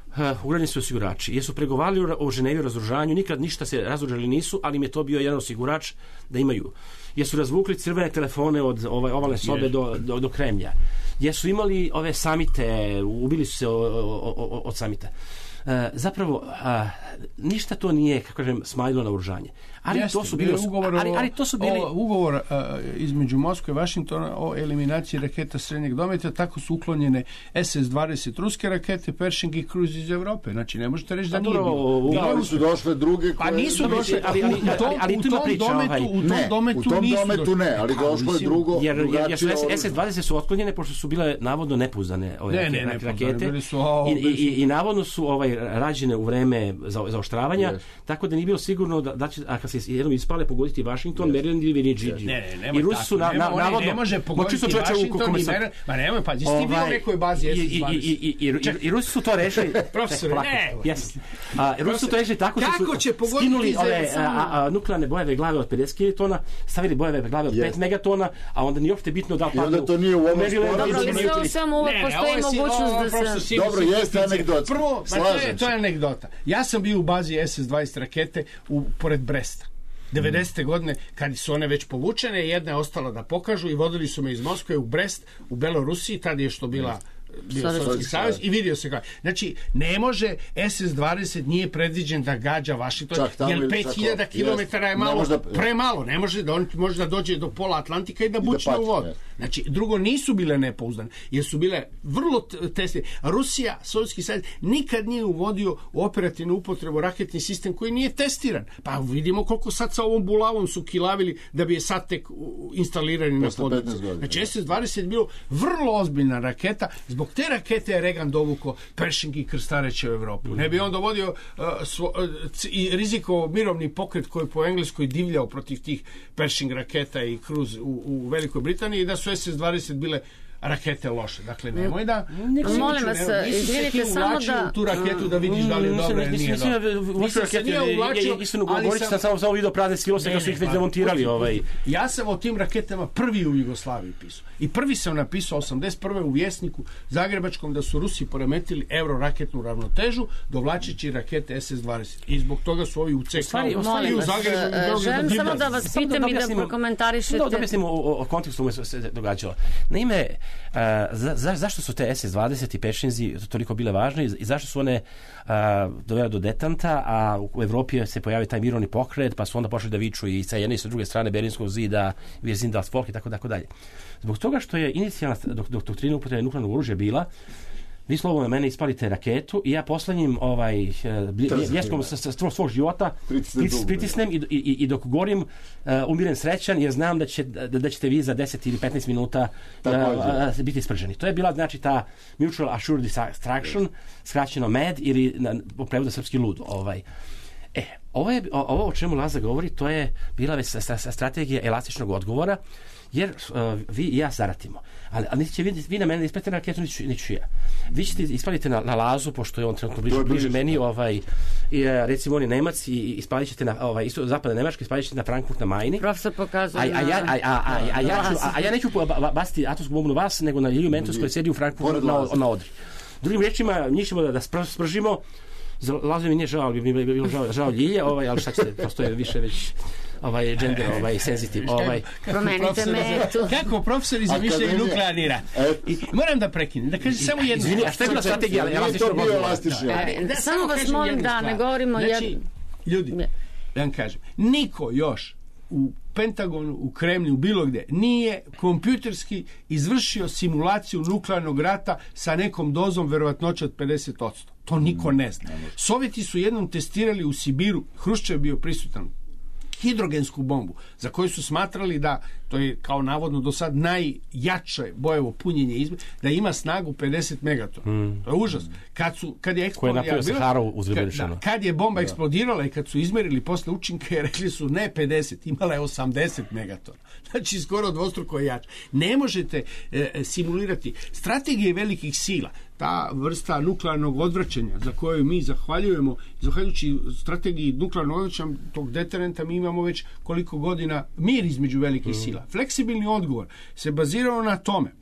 uh, ugrađeni su osigurači. Jesu pregovarali o Ženevi o razoružanju, nikad ništa se razoružali nisu, ali im je to bio jedan osigurač da imaju. Jesu razvukli crvene telefone od ovaj, ovalne sobe do, do, do Kremlja. Jesu imali ove samite, ubili su se o, o, o, od samita. Uh, zapravo, uh, ništa to nije, kako kažem, smanjilo na oružanje. Ali Jeste, to su bili ugovor, ali, ali to su bili o, ugovor uh, između Moskve i Vašingtona o eliminaciji raketa srednjeg dometa, tako su uklonjene S S dvadeset ruske rakete, Pershing i Cruise iz Evrope. Znači, ne možete reći da nije bilo. Da, ali su došle druge koje... Pa nisu došle, ali, ali, ali, ali, ali u tu ima tom priča. Dometu, Ovaj. U tom ne, dometu, u tom nisu dometu došle. ne, ali došlo je drugo. Jer, jer, jer su S S dvadeset su otklonjene pošto su bile navodno nepouzdane ove ne, ne, ne, rakete. Su, o, I, i, i, I navodno su ovaj, rađene u vreme za, zaoštravanja, yes. tako da nije bilo sigurno da, da će, a kad se jednom ispale, pogoditi Washington, yes. Maryland ili Virginia. Yes. Ne, ne, nemoj I Rusi su tako. na, Nema, na, navodno... ne može pogoditi Washington i Maryland. Ma nemoj, pa, jesi ti bio u nekoj bazi S S dvadeset? I, i, i, i, i Rusi su to rešili... Profesor, ne. Yes. A, Rusi su to rešili tako što Kako su će skinuli ove a, a, nuklearne bojeve glave od pedeset kilotona, stavili bojeve glave od yes. pet megatona, a onda nije uopšte bitno da li padnu... I onda to nije u ovom sporazumu. Dobro, ali sve u svemu uvek postoji mogućnost da se... Dobro, jeste anegdota. Prvo, to je anegdota. Ja sam bio u bazi S S dvadeset rakete u, pored Bresta. devedesete godine, kad su one već povučene, jedna je ostala da pokažu i vodili su me iz Moskve u Brest, u Belorusiji, tada je što bila... bio Sovjetski savez i vidio se kako. Znači, ne može S S dvadeset nije predviđen da gađa Washington, jer pet hiljada kilometara je malo, da, premalo. Ne može da on može da dođe do pola Atlantika i da bučne u vodu. Znači, drugo, nisu bile nepouzdane, jer su bile vrlo tesne. Rusija, Sovjetski savez, nikad nije uvodio u operativnu upotrebu raketni sistem koji nije testiran. Pa vidimo koliko sad sa ovom bulavom su kilavili da bi je sad tek instalirani na području. Znači, S S dvadeset je bilo vrlo ozbiljna raketa. Zbog te rakete je Reagan dovuko Pershing i krstareće u Evropu. Ne bi on dovodio uh, svo, uh, i rizikovo mirovni pokret koji po Engleskoj divljao protiv tih Pershing raketa i Cruise u, u Velikoj Britaniji i da su S S dvadeset bile rakete loše. Dakle, nemoj da... Molim vas, izvinite samo da... u tu raketu da vidiš da li je dobro ili nije dobro. Nisam se nije uvlačio, ali sam... Samo, samo vidio prazne silose kad su ih već demontirali. Ovaj. Ja sam o tim raketama prvi u Jugoslaviji pisao. I prvi sam napisao osamdeset prve u Vjesniku Zagrebačkom da su Rusi poremetili euroraketnu ravnotežu dovlačeći rakete S S dvadeset. I zbog toga su ovi u C K i u Zagrebu. Želim samo da vas pitam i da prokomentarišete. Da objasnimo o kontekstu u se događalo. Naime, Uh, za, za, zašto su te S S dvadeset i Pershingzi toliko bile važne i zašto su one uh, dovele do detanta, a u Evropi se pojavio taj mirovni pokret, pa su onda počeli da viču i sa jedne i sa druge strane Berlinskog zida, Wir sind das Volk i tako tako dalje. Zbog toga što je inicijalna dok, dok, doktrina upotrebe nuklearnog oružja bila vi slovo na mene ispalite raketu i ja poslednjim ovaj, bljeskom svog života pritisnem i, i, i dok govorim uh, umiren srećan jer znam da, će, da, da ćete vi za deset ili petnaest minuta uh, uh, biti sprženi. To je bila znači ta Mutual Assured Distraction, skraćeno M A D ili na, u prevodu srpski lud. Ovaj. E, ovo, je, ovo o čemu Laza govori, to je bila već strategija elastičnog odgovora, jer uh, vi i ja zaratimo. Ali, ali niti će vi, vi na mene ispalite na raketu, niti ću ja. Vi ćete ispalite na, na Lazu, pošto je on trenutno bliže, bliže meni, ovaj, i, recimo on je Nemac i ispalit ćete na ovaj, isto zapadna Nemačka, ispalit ćete na Frankfurt na Majni. Profesor pokazuje a, a, ja, a, a, a, a, ja ću, a, a ja neću baciti atomsku bombu na vas, nego na Lilju Mentos koji sedi u Frankfurtu na, na Odri. Drugim rečima, njih ćemo da, da spržimo. Za Lazu mi nije žao, ali bi mi bilo žao, žao Ljilje, ovaj, ali šta ćete, prosto je više već ovaj gender, ovaj sensitive, ovaj promenite metu. Kako profesori zamišljaju nuklearni rat? I moram da prekinem, da kažem samo jedno. Izvini, a šta je bila strategija? Samo vas molim da ne govorimo znači, ljudi, da vam kažem, niko još u Pentagonu, u Kremlju, bilo gde, nije kompjuterski izvršio simulaciju nuklearnog rata sa nekom dozom verovatnoće od pedeset posto. To niko ne zna. Sovjeti su jednom testirali u Sibiru, Hruščov je bio prisutan, hidrogensku bombu, za koju su smatrali da, to je kao navodno do sad najjače bojevo punjenje izme, da ima snagu pedeset megatona. Mm. To je užas. Kad, su, kad je eksplodirala, kad, kad je bomba da. eksplodirala i kad su izmerili posle učinke, rekli su ne pedeset, imala je osamdeset megatona. Znači skoro dvostruko je jače. Ne možete e, simulirati strategije velikih sila, ta vrsta nuklearnog odvraćanja za koju mi zahvaljujemo, zahvaljujući strategiji nuklearnog odvraćanja tog deterenta, mi imamo već koliko godina mir između velikih mm. sila. Fleksibilni odgovor se bazirao na tome.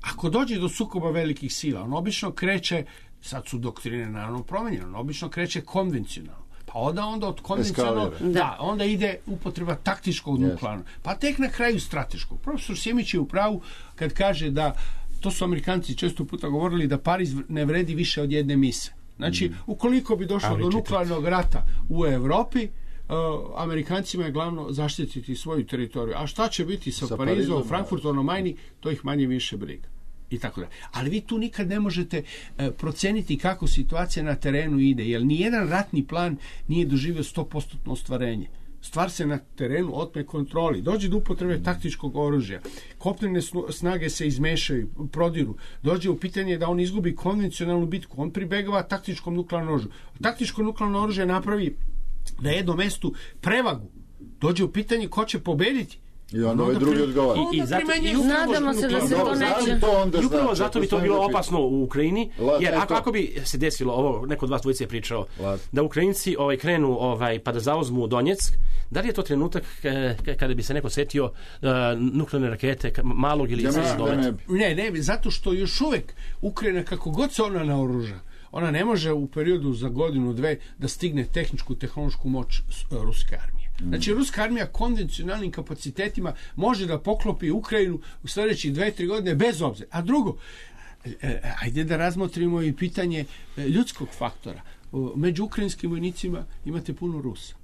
Ako dođe do sukoba velikih sila, on obično kreće, sad su doktrine naravno promenjene, on obično kreće konvencionalno. Pa onda, onda od konvencionalnog, da, onda ide upotreba taktičkog yes. nuklearnog, pa tek na kraju strateškog. Profesor Sjemić je u pravu kad kaže da, to su Amerikanci često puta govorili, da Pariz ne vredi više od jedne mise. Znači, mm. ukoliko bi došlo do nuklearnog rata u Evropi, uh, Amerikancima je glavno zaštititi svoju teritoriju. A šta će biti sa, sa Parizom, Parizom, Frankfurtom na Majni, to ih manje više briga. I tako da. Ali vi tu nikad ne možete uh, proceniti kako situacija na terenu ide, jer nijedan ratni plan nije doživio sto posto ostvarenje. Stvar se na terenu otme kontroli. Dođe do upotrebe taktičkog oružja. Kopnene snage se izmešaju, prodiru. Dođe u pitanje da on izgubi konvencionalnu bitku. On pribegava taktičkom nuklearnom oružju. Taktičko nuklearno oružje napravi na jednom mestu prevagu. Dođe u pitanje ko će pobediti. I onda ovaj drugi odgovara. I, i, zato, i nadamo se da se to neće. I upravo zato bi to bilo opasno u Ukrajini, jer ako, ako bi se desilo, ovo neko od vas dvojice je pričao, da Ukrajinci ovaj, krenu ovaj, pa da zauzmu Donjeck, da li je to trenutak kada bi se neko setio uh, nuklearne rakete malog ili izraznog dometa? Ne, ne, zato što još uvek Ukrajina, kako god se ona naoruža, ona ne može u periodu za godinu, dve da stigne tehničku, tehnološku moć ruske armije. Znači, ruska armija konvencionalnim kapacitetima može da poklopi Ukrajinu u sljedećih dve, tri godine bez obzira. A drugo, ajde da razmotrimo i pitanje ljudskog faktora. Među ukrajinskim vojnicima imate puno Rusa.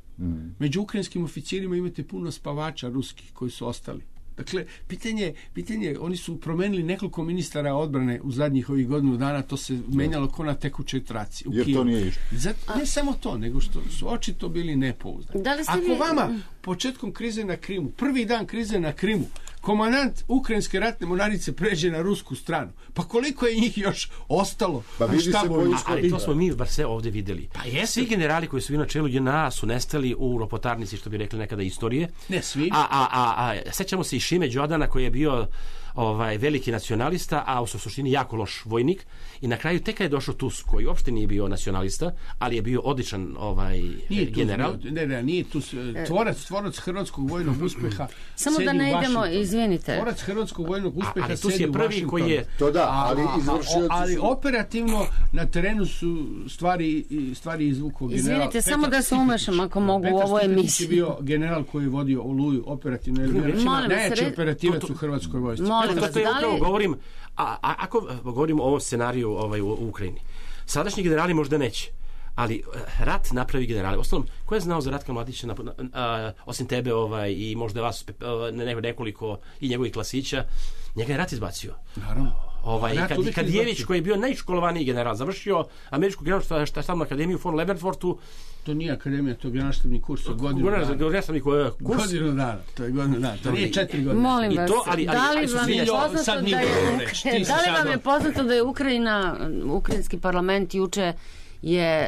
Među ukrajinskim oficirima imate puno spavača ruskih koji su ostali. Dakle, pitanje, pitanje, oni su promenili nekoliko ministara odbrane u zadnjih ovih godinu dana, to se menjalo ko na tekućoj traci. Jer to nije išlo. Zato, ne samo to, nego što su očito bili nepouzdani. Ako vi... vama početkom krize na Krimu, prvi dan krize na Krimu, komandant ukrajinske ratne mornarice pređe na rusku stranu, pa koliko je njih još ostalo? Pa vidi se boju, ali to smo mi bar sve ovdje vidjeli. Pa svi generali koji su bili na čelu J N A su nestali u ropotarnici, što bi rekli nekada istorije. Ne svi. A, a, a, a sećamo se i Šime Đodana koji je bio ovaj veliki nacionalista, a u suštini jako loš vojnik, i na kraju tek kad je došao Tusk, koji uopšte nije bio nacionalista, ali je bio odličan ovaj nije general. Bio, ne, ne, nije tu tvorac, tvorac hrvatskog vojnog uspeha. Samo da ne idemo, izvinite. Tvorac hrvatskog vojnog uspeha a, sedi je prvi u koji je to da, ali izvršioci ali su... operativno na terenu su stvari stvari izvukao general. Izvinite, Petar samo da se umešam ako mogu Petar u ovoj emisiji. Je bio general koji je vodio Oluju operativno, je najjači operativac u hrvatskoj vojsci. To što ja upravo govorim, a, a ako govorim o ovom scenariju ovaj, u, u Ukrajini, sadašnji generali možda neće, ali rat napravi generali. Ostalom, ko je znao za Ratka Mladića, a, osim tebe ovaj, i možda vas ne, nekoliko i njegovih klasića, njega je rat izbacio. Naravno. Ovaj, Ja, kad, to uvijek Kadijević, izbacio. koji je bio najškolovaniji general, završio američku generalnu štabnu akademiju u Fort Leavenworthu, To nije akademija, to je generalštabni kurs od godinu dana. generalštabni kurs. Godinu dana, to je godinu dana, to nije četiri godine. Molim I vas, to, ali- ali- da li ali su vam je Miljo, poznato sad da mi je, govorimo reći, ti si da li sad vam je on- poznato da je Ukrajina, ukrajinski parlament juče je e,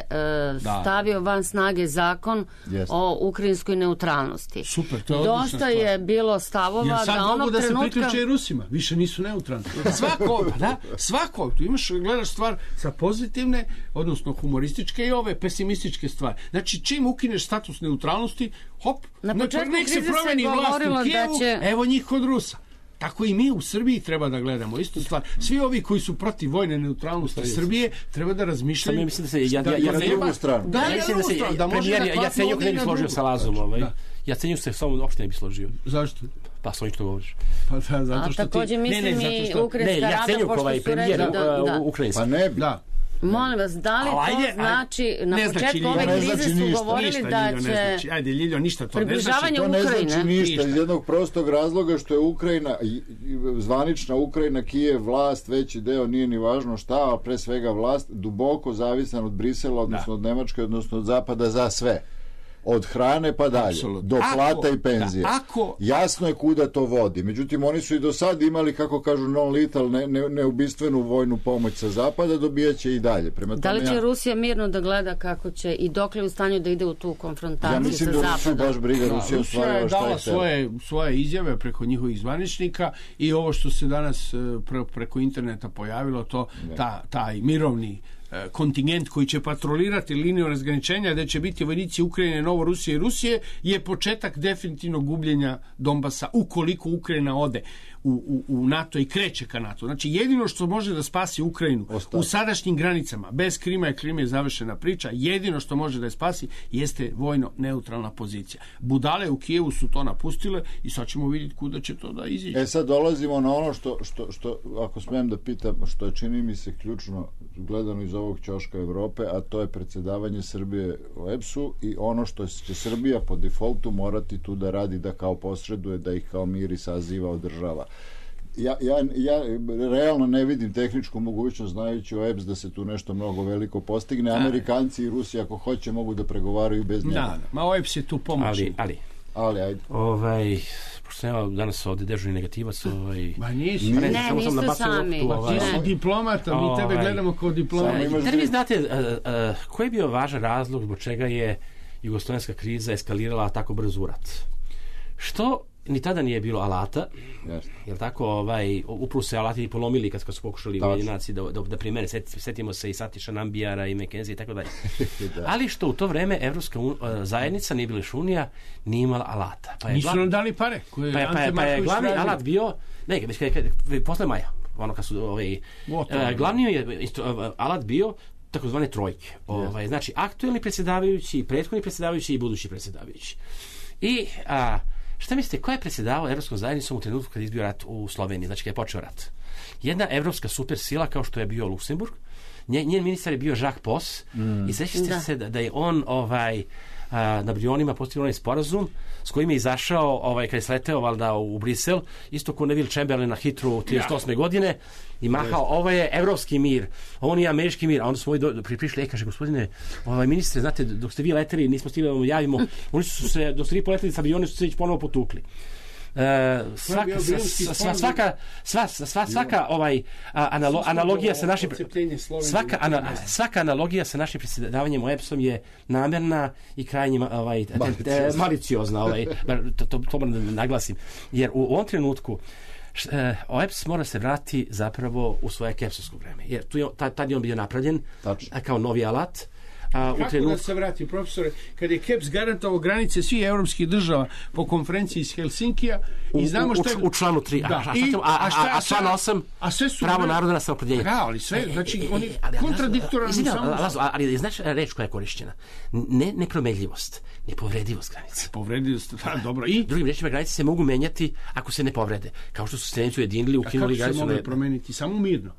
stavio van snage zakon Jeste. o ukrajinskoj neutralnosti. Super, to je odlična Dosta stvar. je bilo stavova Jer sad da mogu onog da se trenutka... priključe i Rusima, više nisu neutralni. Svako, pa da, svako, tu imaš, gledaš stvar sa pozitivne, odnosno humorističke i ove pesimističke stvari. Znači, čim ukineš status neutralnosti, hop, Na nek- početku nek se krize se promeni vlast govorilo u da Kijevu, će- evo njih kod Rusa. Tako i mi u Srbiji treba da gledamo istu stvar. Svi ovi koji su protiv vojne neutralnosti Srbije treba da razmišljaju. Samo ja mislim da se- ja- ja- ja- da na drugu stranu. Da, Ja ja, mislim da se da može premijer, da ja klapne Jacenjuk ovdje ne i bi na složio drugu. sa Lazom, ovaj. Da. Jacenjuk se sa mnom uopšte ne bi složio. Zašto? Pa sa onim što govoriš. Pa da, zato A što takođe ti... mislim Ne, ne, i zato što- Ukrajinska Ne, rada, Jacenjuk, pošto ovaj su rekli premijer da... uh, da. ukrajinski. Pa ne bi. Da. Molim vas, da li A, to ajde, ajde. znači, na Ne znači početku Ljiljo, ove ne krize znači su ništa, govorili Ništa, da Ljiljo, ne će znači. Ajde, Ljiljo, ništa to ne znači. približavanje To ne Ukrajine. znači ništa Ništa. iz jednog prostog razloga što je Ukrajina, i- i zvanična Ukrajina, Kijev, vlast, veći deo, nije ni važno šta, a pre svega vlast, duboko zavisan od Brisela, odnosno od Nemačke, odnosno od Zapada za sve. Od hrane pa dalje, Apsolutno. do Ako- plata i penzije. da, ako- Jasno je kuda to vodi. Međutim, oni su i do sad imali, kako kažu, non-lethal, ne, ne, neubistvenu vojnu pomoć sa Zapada, dobijaće i dalje. Prema Da li tome će ja- Rusija mirno da gleda kako će i dokle je u stanju da ide u tu konfrontaciju Ja mislim sa da Rusiju Zapadom? baš briga, Rusija Rusija ostvarila je šta je dala htela. svoje, svoje izjave preko njihovih zvaničnika i ovo što se danas e, pre, preko interneta pojavilo, to ta, taj mirovni e, kontingent koji će patrolirati liniju razgraničenja, gde će biti vojnici Ukrajine, Novorusije i Rusije, je početak definitivnog gubljenja Donbasa ukoliko Ukrajina ode u, u, u NATO i kreće ka NATO. Znači, jedino što može da spasi Ukrajinu Ostaje. u sadašnjim granicama, bez Krima je Krim je završena priča, jedino što može da je spasi jeste vojno neutralna pozicija. Budale u Kijevu su to napustile i sad ćemo vidjeti kuda će to da iziđe. E sad dolazimo na ono što, što, što, ako smijem da pitam, što je čini mi se ključno gledano iz ovog ćoška Evrope, a to je predsjedavanje Srbije u E P S-u i ono što će Srbija po defaultu morati tu da radi, da kao posreduje, da ih kao miri saziva, održava. Ja, ja, ja realno ne vidim tehničku mogućnost, znajući o E P S, da se tu nešto mnogo veliko postigne. Amerikanci i Rusi, ako hoće, mogu da pregovaraju bez njega. Da, da, ma O E P S je tu pomoćni. Ali, ali, Ali, ajde. ovaj, pošto nema danas ovde dežurni negativac, ovaj, Ma nisi. Ne, Ne, samo sam niste nabacio sami. loptu, Pa ovaj, ti si Ne. diplomata, mi tebe Ovaj. gledamo kao Samo diplomata. imaš Da li vi dvije- znate uh, uh, koji je bio važan razlog zbog čega je jugoslovenska kriza eskalirala tako brzo u rat? Što ni tada nije bilo alata, Jeste. jel tako, ovaj, upravo se alati polomili kad su pokušali Tačno. Ujedinjenici da, da, da primene, Set- setimo se i Satiša Nambijara i McKenzie i tako dalje. Da. Ali što u to vreme Evropska un, uh, zajednica, nije bila još unija, nije imala alata. Pa je Nisu glavni- nam dali pare. Koje pa je, pa je, Ante pa je Marković glavni tražio. alat bio, ne, već kad, kad, posle maja, ono kad su ovaj, Gotovo. uh, glavni je isto, alat bio takozvane trojke. Ovaj, znači, aktuelni predsjedavajući, prethodni predsjedavajući i budući predsjedavajući. I a, šta mislite, ko je predsjedavao Evropskom zajednicom u trenutku kad je izbio rat u Sloveniji, znači kad je počeo rat? Jedna evropska super sila kao što je bio Luksemburg, njen, njen ministar je bio Jacques Poss mm. i sećate Da. se da, da je on ovaj, a, na Brionima postigao onaj sporazum s kojim je izašao ovaj, kad je sleteo valjda u Brisel, isto ko Neville Chamberlain na Hitru trideset osme godine i mahao, ovo je evropski mir, ovo nije američki mir, a onda smo do, pri, prišli, e, kaže, gospodine, ovaj, ministre, znate, dok ste vi leteli, nismo stigli da vam javimo, oni su se, dok ste vi poleteli sa avioni, su se već ponovo potukli. E, svaka, bio sva, Brilski sva, fond. svaka, sva, sva, svaka ovaj, a, analo, analogija sa našim Odcepljenje Slovenije svaka, na ana, mjestu. svaka analogija sa našim predsjedavanjem o E P S-om je namerna i krajnje ma- ovaj, te- te- Maliciozna. maliciozna, ovaj, bar to, to, to moram da naglasim, jer u ovom trenutku š- e, o E P S mora se vrati zapravo u svoje kepsovsko vreme, jer tu je, ta- tad je on bio napravljen Tačno. a, kao novi alat. A, u Kako trenutku da se vrati, profesore, kad je K E P S garantovao granice svih evropskih država po konferenciji iz Helsinkija i znamo u, što je... u, u članu tri, Da, a, a, i- a, a, a šta- a, a član osam, a sve su- pravo naroda na samoopredjeljenje. Da, ali sve, znači, oni E, ali- ali- kontradiktoran izvini, samo- Lazo, ali znaš reč koja je korišćena? Ne nepromenljivost, nepovredivost granice. Povredio ste, da, dobro, i... Drugim rečima, granice se mogu menjati ako se ne povrede. Kao što su Sremci ujedinili, A kako ukinuli se granicu. mogu na- promeniti? Samo mirno.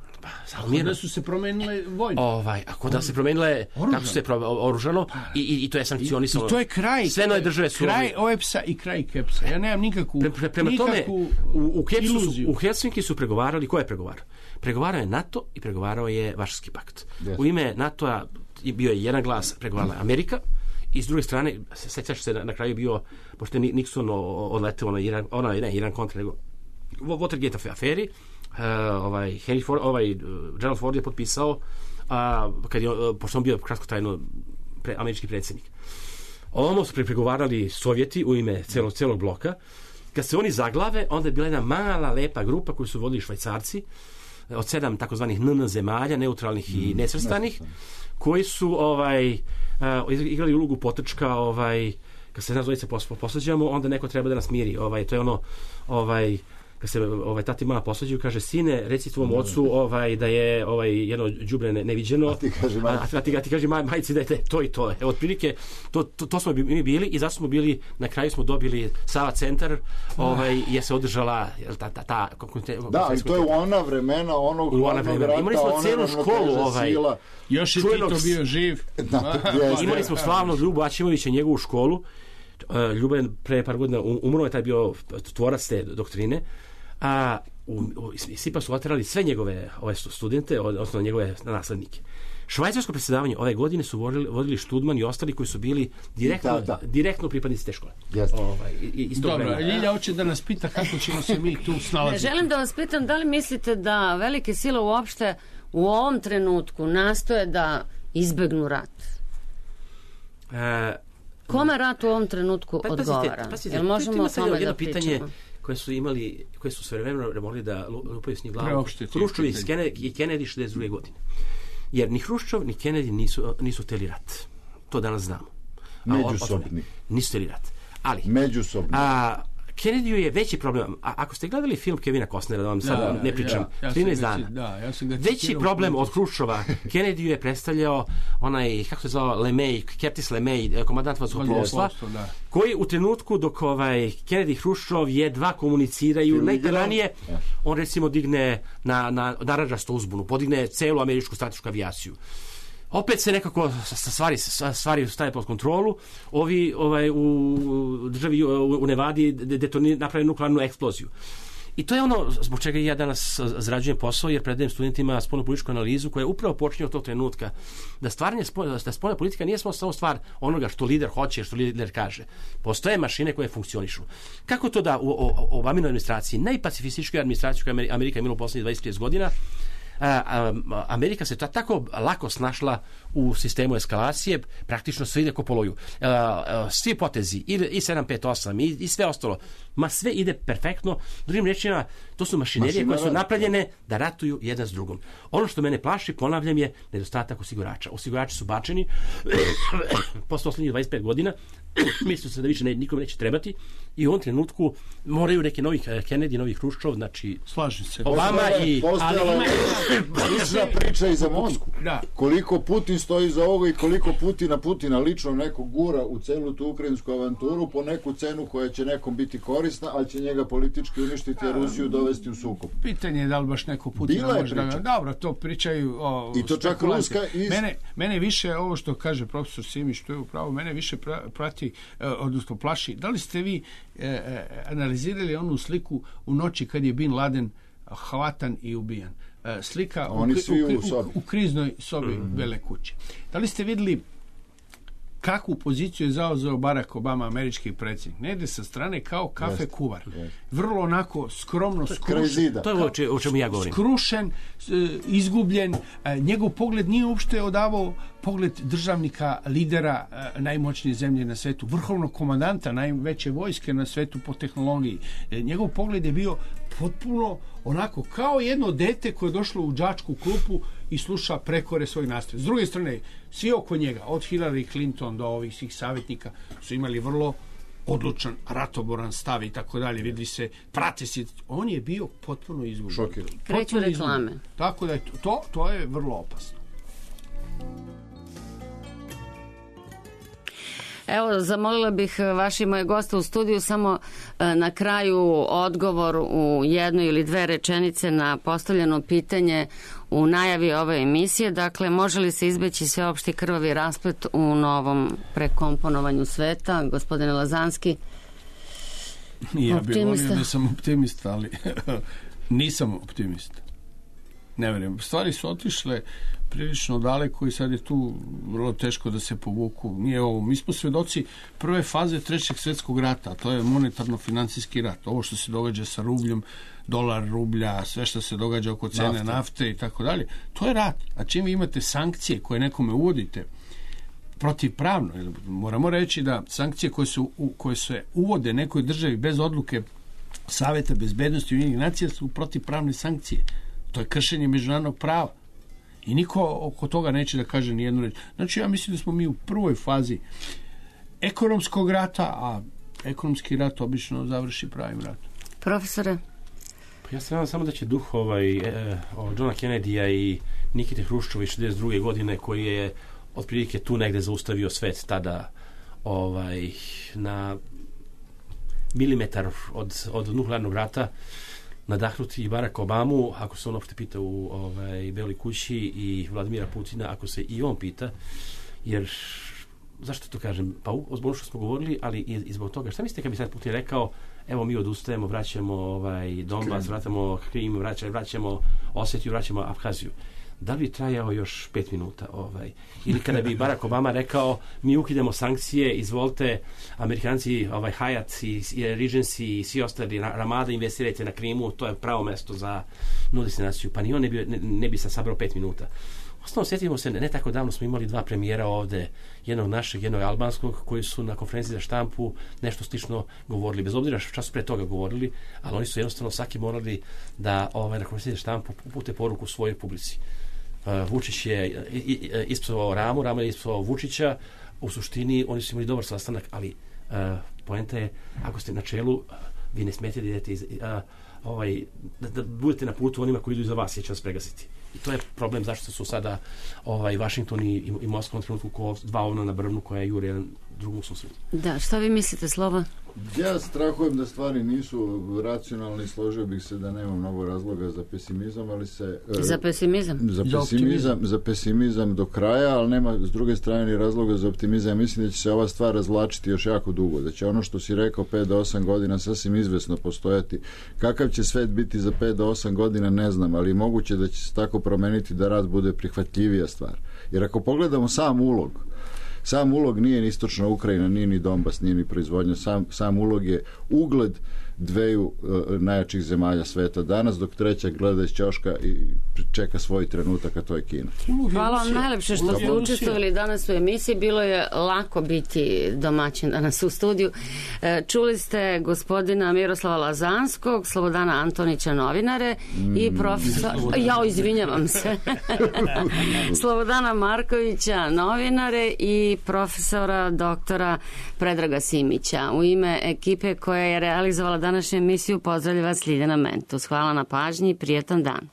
Salmir, da su se promenile vojne. Ovaj, a kod da se promenile, Oružano. kako su se pro, oružano i, i, i to je sankcionisano. I to je kraj. Sve nove države su... Kraj O E P S-a i kraj Kepsa. Ja nemam nikakvu, pre, pre, prema nikakvu tome, u, u, Kepsu su, iluziju. u Helsinki su pregovarali, ko je pregovarao? Pregovarao je NATO i pregovarao je Varšavski pakt. Yes. U ime NATO-a bio je jedan glas, pregovarala Amerika, i s druge strane, sećaš se na, na kraju bio, pošto je Nixon odleteo na Iran, ona, ne, Iran kontra, nego Watergate aferi, uh, ovaj, Henry Ford, ovaj, Gerald Ford je potpisao, a, kad je, pošto on bio kratkotrajno pre, američki predsjednik. Ovo su pregovarali Sovjeti u ime celog, celog bloka. Kad se oni zaglave, onda je bila jedna mala, lepa grupa koju su vodili Švajcarci, od sedam takozvanih N N zemalja, neutralnih i nesvrstanih, koji su ovaj, uh, igrali ulogu potrčka, ovaj, kad se nas dvojice posvađamo, onda neko treba da nas miri. Ovaj, to je ono, ovaj, kad se ovaj, tati mala posvađaju, kaže, sine, reci tvom ocu ovaj, da je ovaj, jedno đubre ne, neviđeno, a ti kaže, maj... a, a ti, a ti kaže maj, majci da je to i to. Evo, otprilike, to, to, to smo mi bili i zato smo bili, na kraju smo dobili Sava centar, ovaj, je se održala ta, ta, ta, ta da, i to je u ona vremena onog hladnog rata, imali smo celu školu, ovaj, još je Tito bio živ. Da, imali smo slavnog Ljubu Aćimovića, njegovu školu. Ljubo je pre par godina umro, je taj bio tvorac te doktrine, a u, u, Sipa su oterali sve njegove ove studente, odnosno njegove naslednike. Švajcarsko predsjedavanje ove godine su vodili, vodili Študman i ostali koji su bili direktno, da, da. direktno pripadnici te škole. Ovaj, Dobro, Ljilja hoće da nas pita kako ćemo se mi tu snalaziti. Želim da vas pitam, da li mislite da velike sile uopšte u ovom trenutku nastoje da izbegnu rat? E, Kome rat u ovom trenutku pa, odgovara? Pazite, pazite, Jel možemo o tome da pitanje pričamo? koje su imali, koje su svevremeno mogli da lupaju s njih glavu. Hruščov i Kennedy šezdeset druge godine. Jer ni Hruščov ni Kennedy nisu, nisu hteli rat. To danas znamo. Međusobni. Nisu hteli rat. Ali, Međusobni. A, Kennedy je veći problem. A ako ste gledali film Kevina Costnera, da vam sad da, ne pričam, ja, ja trinaest dana. Da, ja sam ga veći problem od Hruščova Kennedy je predstavljao onaj, kako se zvao, LeMay, Curtis LeMay, komandant vazduhoplovstva, koji u trenutku dok ovaj Kennedy i Hruščov jedva komuniciraju, najranije on recimo digne na, na narančastu uzbunu, podigne celu američku stratešku avijaciju. Opet se nekako stvari, stvari staje pod kontrolu. Ovi ovaj, u državi u Nevadi detoniraju, naprave nuklearnu eksploziju. I to je ono zbog čega ja danas zarađujem posao, jer predajem studentima spoljnu političku analizu koja je upravo počinje od tog trenutka. Da stvaranje da spoljna politika nije samo stvar onoga što lider hoće, što lider kaže. Postoje mašine koje funkcionišu. Kako to da u, u, u Obaminoj administraciji, najpacifističkoj administraciji koju Amerika imala u poslednjih dvadeset trideset godina, A, a, Amerika se ta, tako lako snašla u sistemu eskalacije, praktično sve ide ko po loju. A, a, svi potezi, i, i sedam pet osam, i, i sve ostalo, ma sve ide perfektno. Drugim rečima, to su mašinerije koje su napravljene da ratuju jedan s drugom. Ono što mene plaši, ponavljam, je nedostatak osigurača. Osigurači su bačeni posle poslednjih dvadeset pet godina, misle se da više ne, nikome neće trebati i u ovom trenutku moraju neki novi Kennedy, novi Hruščov, znači slažem se. Obama i... Postojala je priča i za Moskvu. Da. Koliko Putin stoji za ovoga i koliko Putina Putina lično neko gura u celu tu ukrajinsku avanturu po neku cenu koja će nekom biti korisna, ali će njega politički uništiti, a Rusiju dovesti u sukob. Pitanje je da li baš neko Putina može da... Dobro, to pričaju o i to čak Ruska iz... Mene, mene više ovo što kaže profesor Simić, što je upravo, mene više prati, odnosno plaši. Da li ste vi e, analizirali onu sliku u noći kad je Bin Laden hvatan i ubijan? Slika u, u, u, u kriznoj sobi mm-hmm. Bele kuće. Da li ste vidjeli kakvu poziciju je zauzeo Barack Obama, američki predsjednik? Ne ide sa strane kao kafe yes, kuvar. Yes. Vrlo onako skromno skrušen. To je o čemu ja govorim. Skrušen, izgubljen. Njegov pogled nije uopšte odavao pogled državnika, lidera najmoćnije zemlje na svetu, vrhovnog komandanta najveće vojske na svetu po tehnologiji. Njegov pogled je bio potpuno onako kao jedno dete koje je došlo u đačku klupu i sluša prekore svoj nastav. S druge strane, svi oko njega, od Hillary Clinton do ovih svih savjetnika, su imali vrlo odlučan, ratoboran stav i tako dalje. Vidi se, prate se. On je bio potpuno izgubljen. Šokir. Kreću reklame. Tako da je to, to, to je vrlo opasno. Evo, zamolila bih vaši moje goste u studiju samo na kraju odgovor u jednoj ili dve rečenice na postavljeno pitanje u najavi ove emisije. Dakle, može li se izbeći sveopšti krvavi rasplet u novom prekomponovanju sveta? Gospodine Lazanski, ja optimista. bih volio da sam optimista, ali nisam optimista. Ne verujem. Stvari su otišle prilično daleko i sad je tu vrlo teško da se povuku. Nije ovo. Mi smo svedoci prve faze trećeg svjetskog rata, a to je monetarno-financijski rat. Ovo što se događa sa rubljom, dolar, rublja, sve što se događa oko cene nafte, nafte i tako dalje, to je rat. A čim vi imate sankcije koje nekome uvodite protivpravno, moramo reći da sankcije koje, su, koje se uvode nekoj državi bez odluke Saveta bezbednosti Ujedinjenih nacija su protivpravne sankcije. To je kršenje međunarodnog prava. I niko oko toga neće da kaže ni jednu reč. Znači, ja mislim da smo mi u prvoj fazi ekonomskog rata, a ekonomski rat obično završi pravim ratom. Profesore? Ja se nadam samo da će duh ovaj, eh, Johna Kennedya i Nikite Hruščova iz šezdeset druge godine, koji je otprilike tu negde zaustavio svet tada ovaj, na milimetar od, od nuklearnog rata, nadahnuti i Barack Obamu, ako se on opšte pita u ovaj, Beloj kući, i Vladimira Putina, ako se i on pita, jer zašto to kažem? Pa zbog što smo govorili, ali i, i zbog toga. Šta mislite kad bi sad Putin rekao, evo mi odustajemo, vraćamo ovaj, Donbas, vraćamo Krim, vraćamo, vraćamo Osetiju, vraćamo Abhaziju. Da li bi trajao još pet minuta? Ovaj? Ili kada bi Barack Obama rekao, mi ukidamo sankcije, izvolite, Amerikanci, ovaj, Hyatt i, i Regency i svi ostali, Ramada, investirajte na Krimu, to je pravo mesto za novu destinaciju. Pa ni on ne bi, ne, ne bi sad sabrao pet minuta. Osnovno, sjetimo se, ne tako davno smo imali dva premijera ovde, jednog našeg, jednog albanskog, koji su na konferenciji za štampu nešto slično govorili, bez obzira što su pre toga govorili, ali oni su jednostavno svaki morali da ovaj, na konferenciji za štampu upute poruku svojoj publici. Uh, Vučić je ispsovao Ramu, Rama je ispsovao Vučića. U suštini oni su imali dobar sastanak, ali uh, poenta je, ako ste na čelu, uh, vi ne smijete da idete iz, uh, ovaj, da, da budete na putu onima koji idu iza vas, jer će vas pregasiti. I to je problem zašto su sada ovaj, Washington i, i, i Moskva na trenutku ko dva ovna na brvnu koja jure jedan drugom susretu. Da, šta vi mislite, Slova? Ja strahujem da stvari nisu racionalne i složio bih se da nema mnogo razloga za pesimizam, ali se... Za pesimizam? Za pesimizam, za pesimizam do kraja, ali nema s druge strane ni razloga za optimizam. Mislim da će se ova stvar razvlačiti još jako dugo, da će ono što si rekao pet do osam godina sasvim izvesno postojati. Kakav će svet biti za pet do osam godina, ne znam, ali moguće da će se tako promeniti da rat bude prihvatljivija stvar. Jer ako pogledamo sam ulog, sam ulog nije ni istočna Ukrajina, nije ni Donbas, nije ni proizvodnja, sam, sam ulog je ugled dveju uh, najjačih zemalja sveta danas, dok treća gleda iz ćoška i čeka svoj trenutak, a to je Kina. Hvala vam najlepše što ste učestvovali danas u emisiji. Bilo je lako biti domaćin danas u studiju. Čuli ste gospodina Miroslava Lazanskog, Slobodana Antonića, novinare, mm. i profesor... Ja, izvinjavam se. Slobodana Markovića, novinare, i profesora doktora Predraga Simića. U ime ekipe koja je realizovala današnju emisiju pozdravlja vas Ljiljana Mentus. Hvala na pažnji i prijetan dan.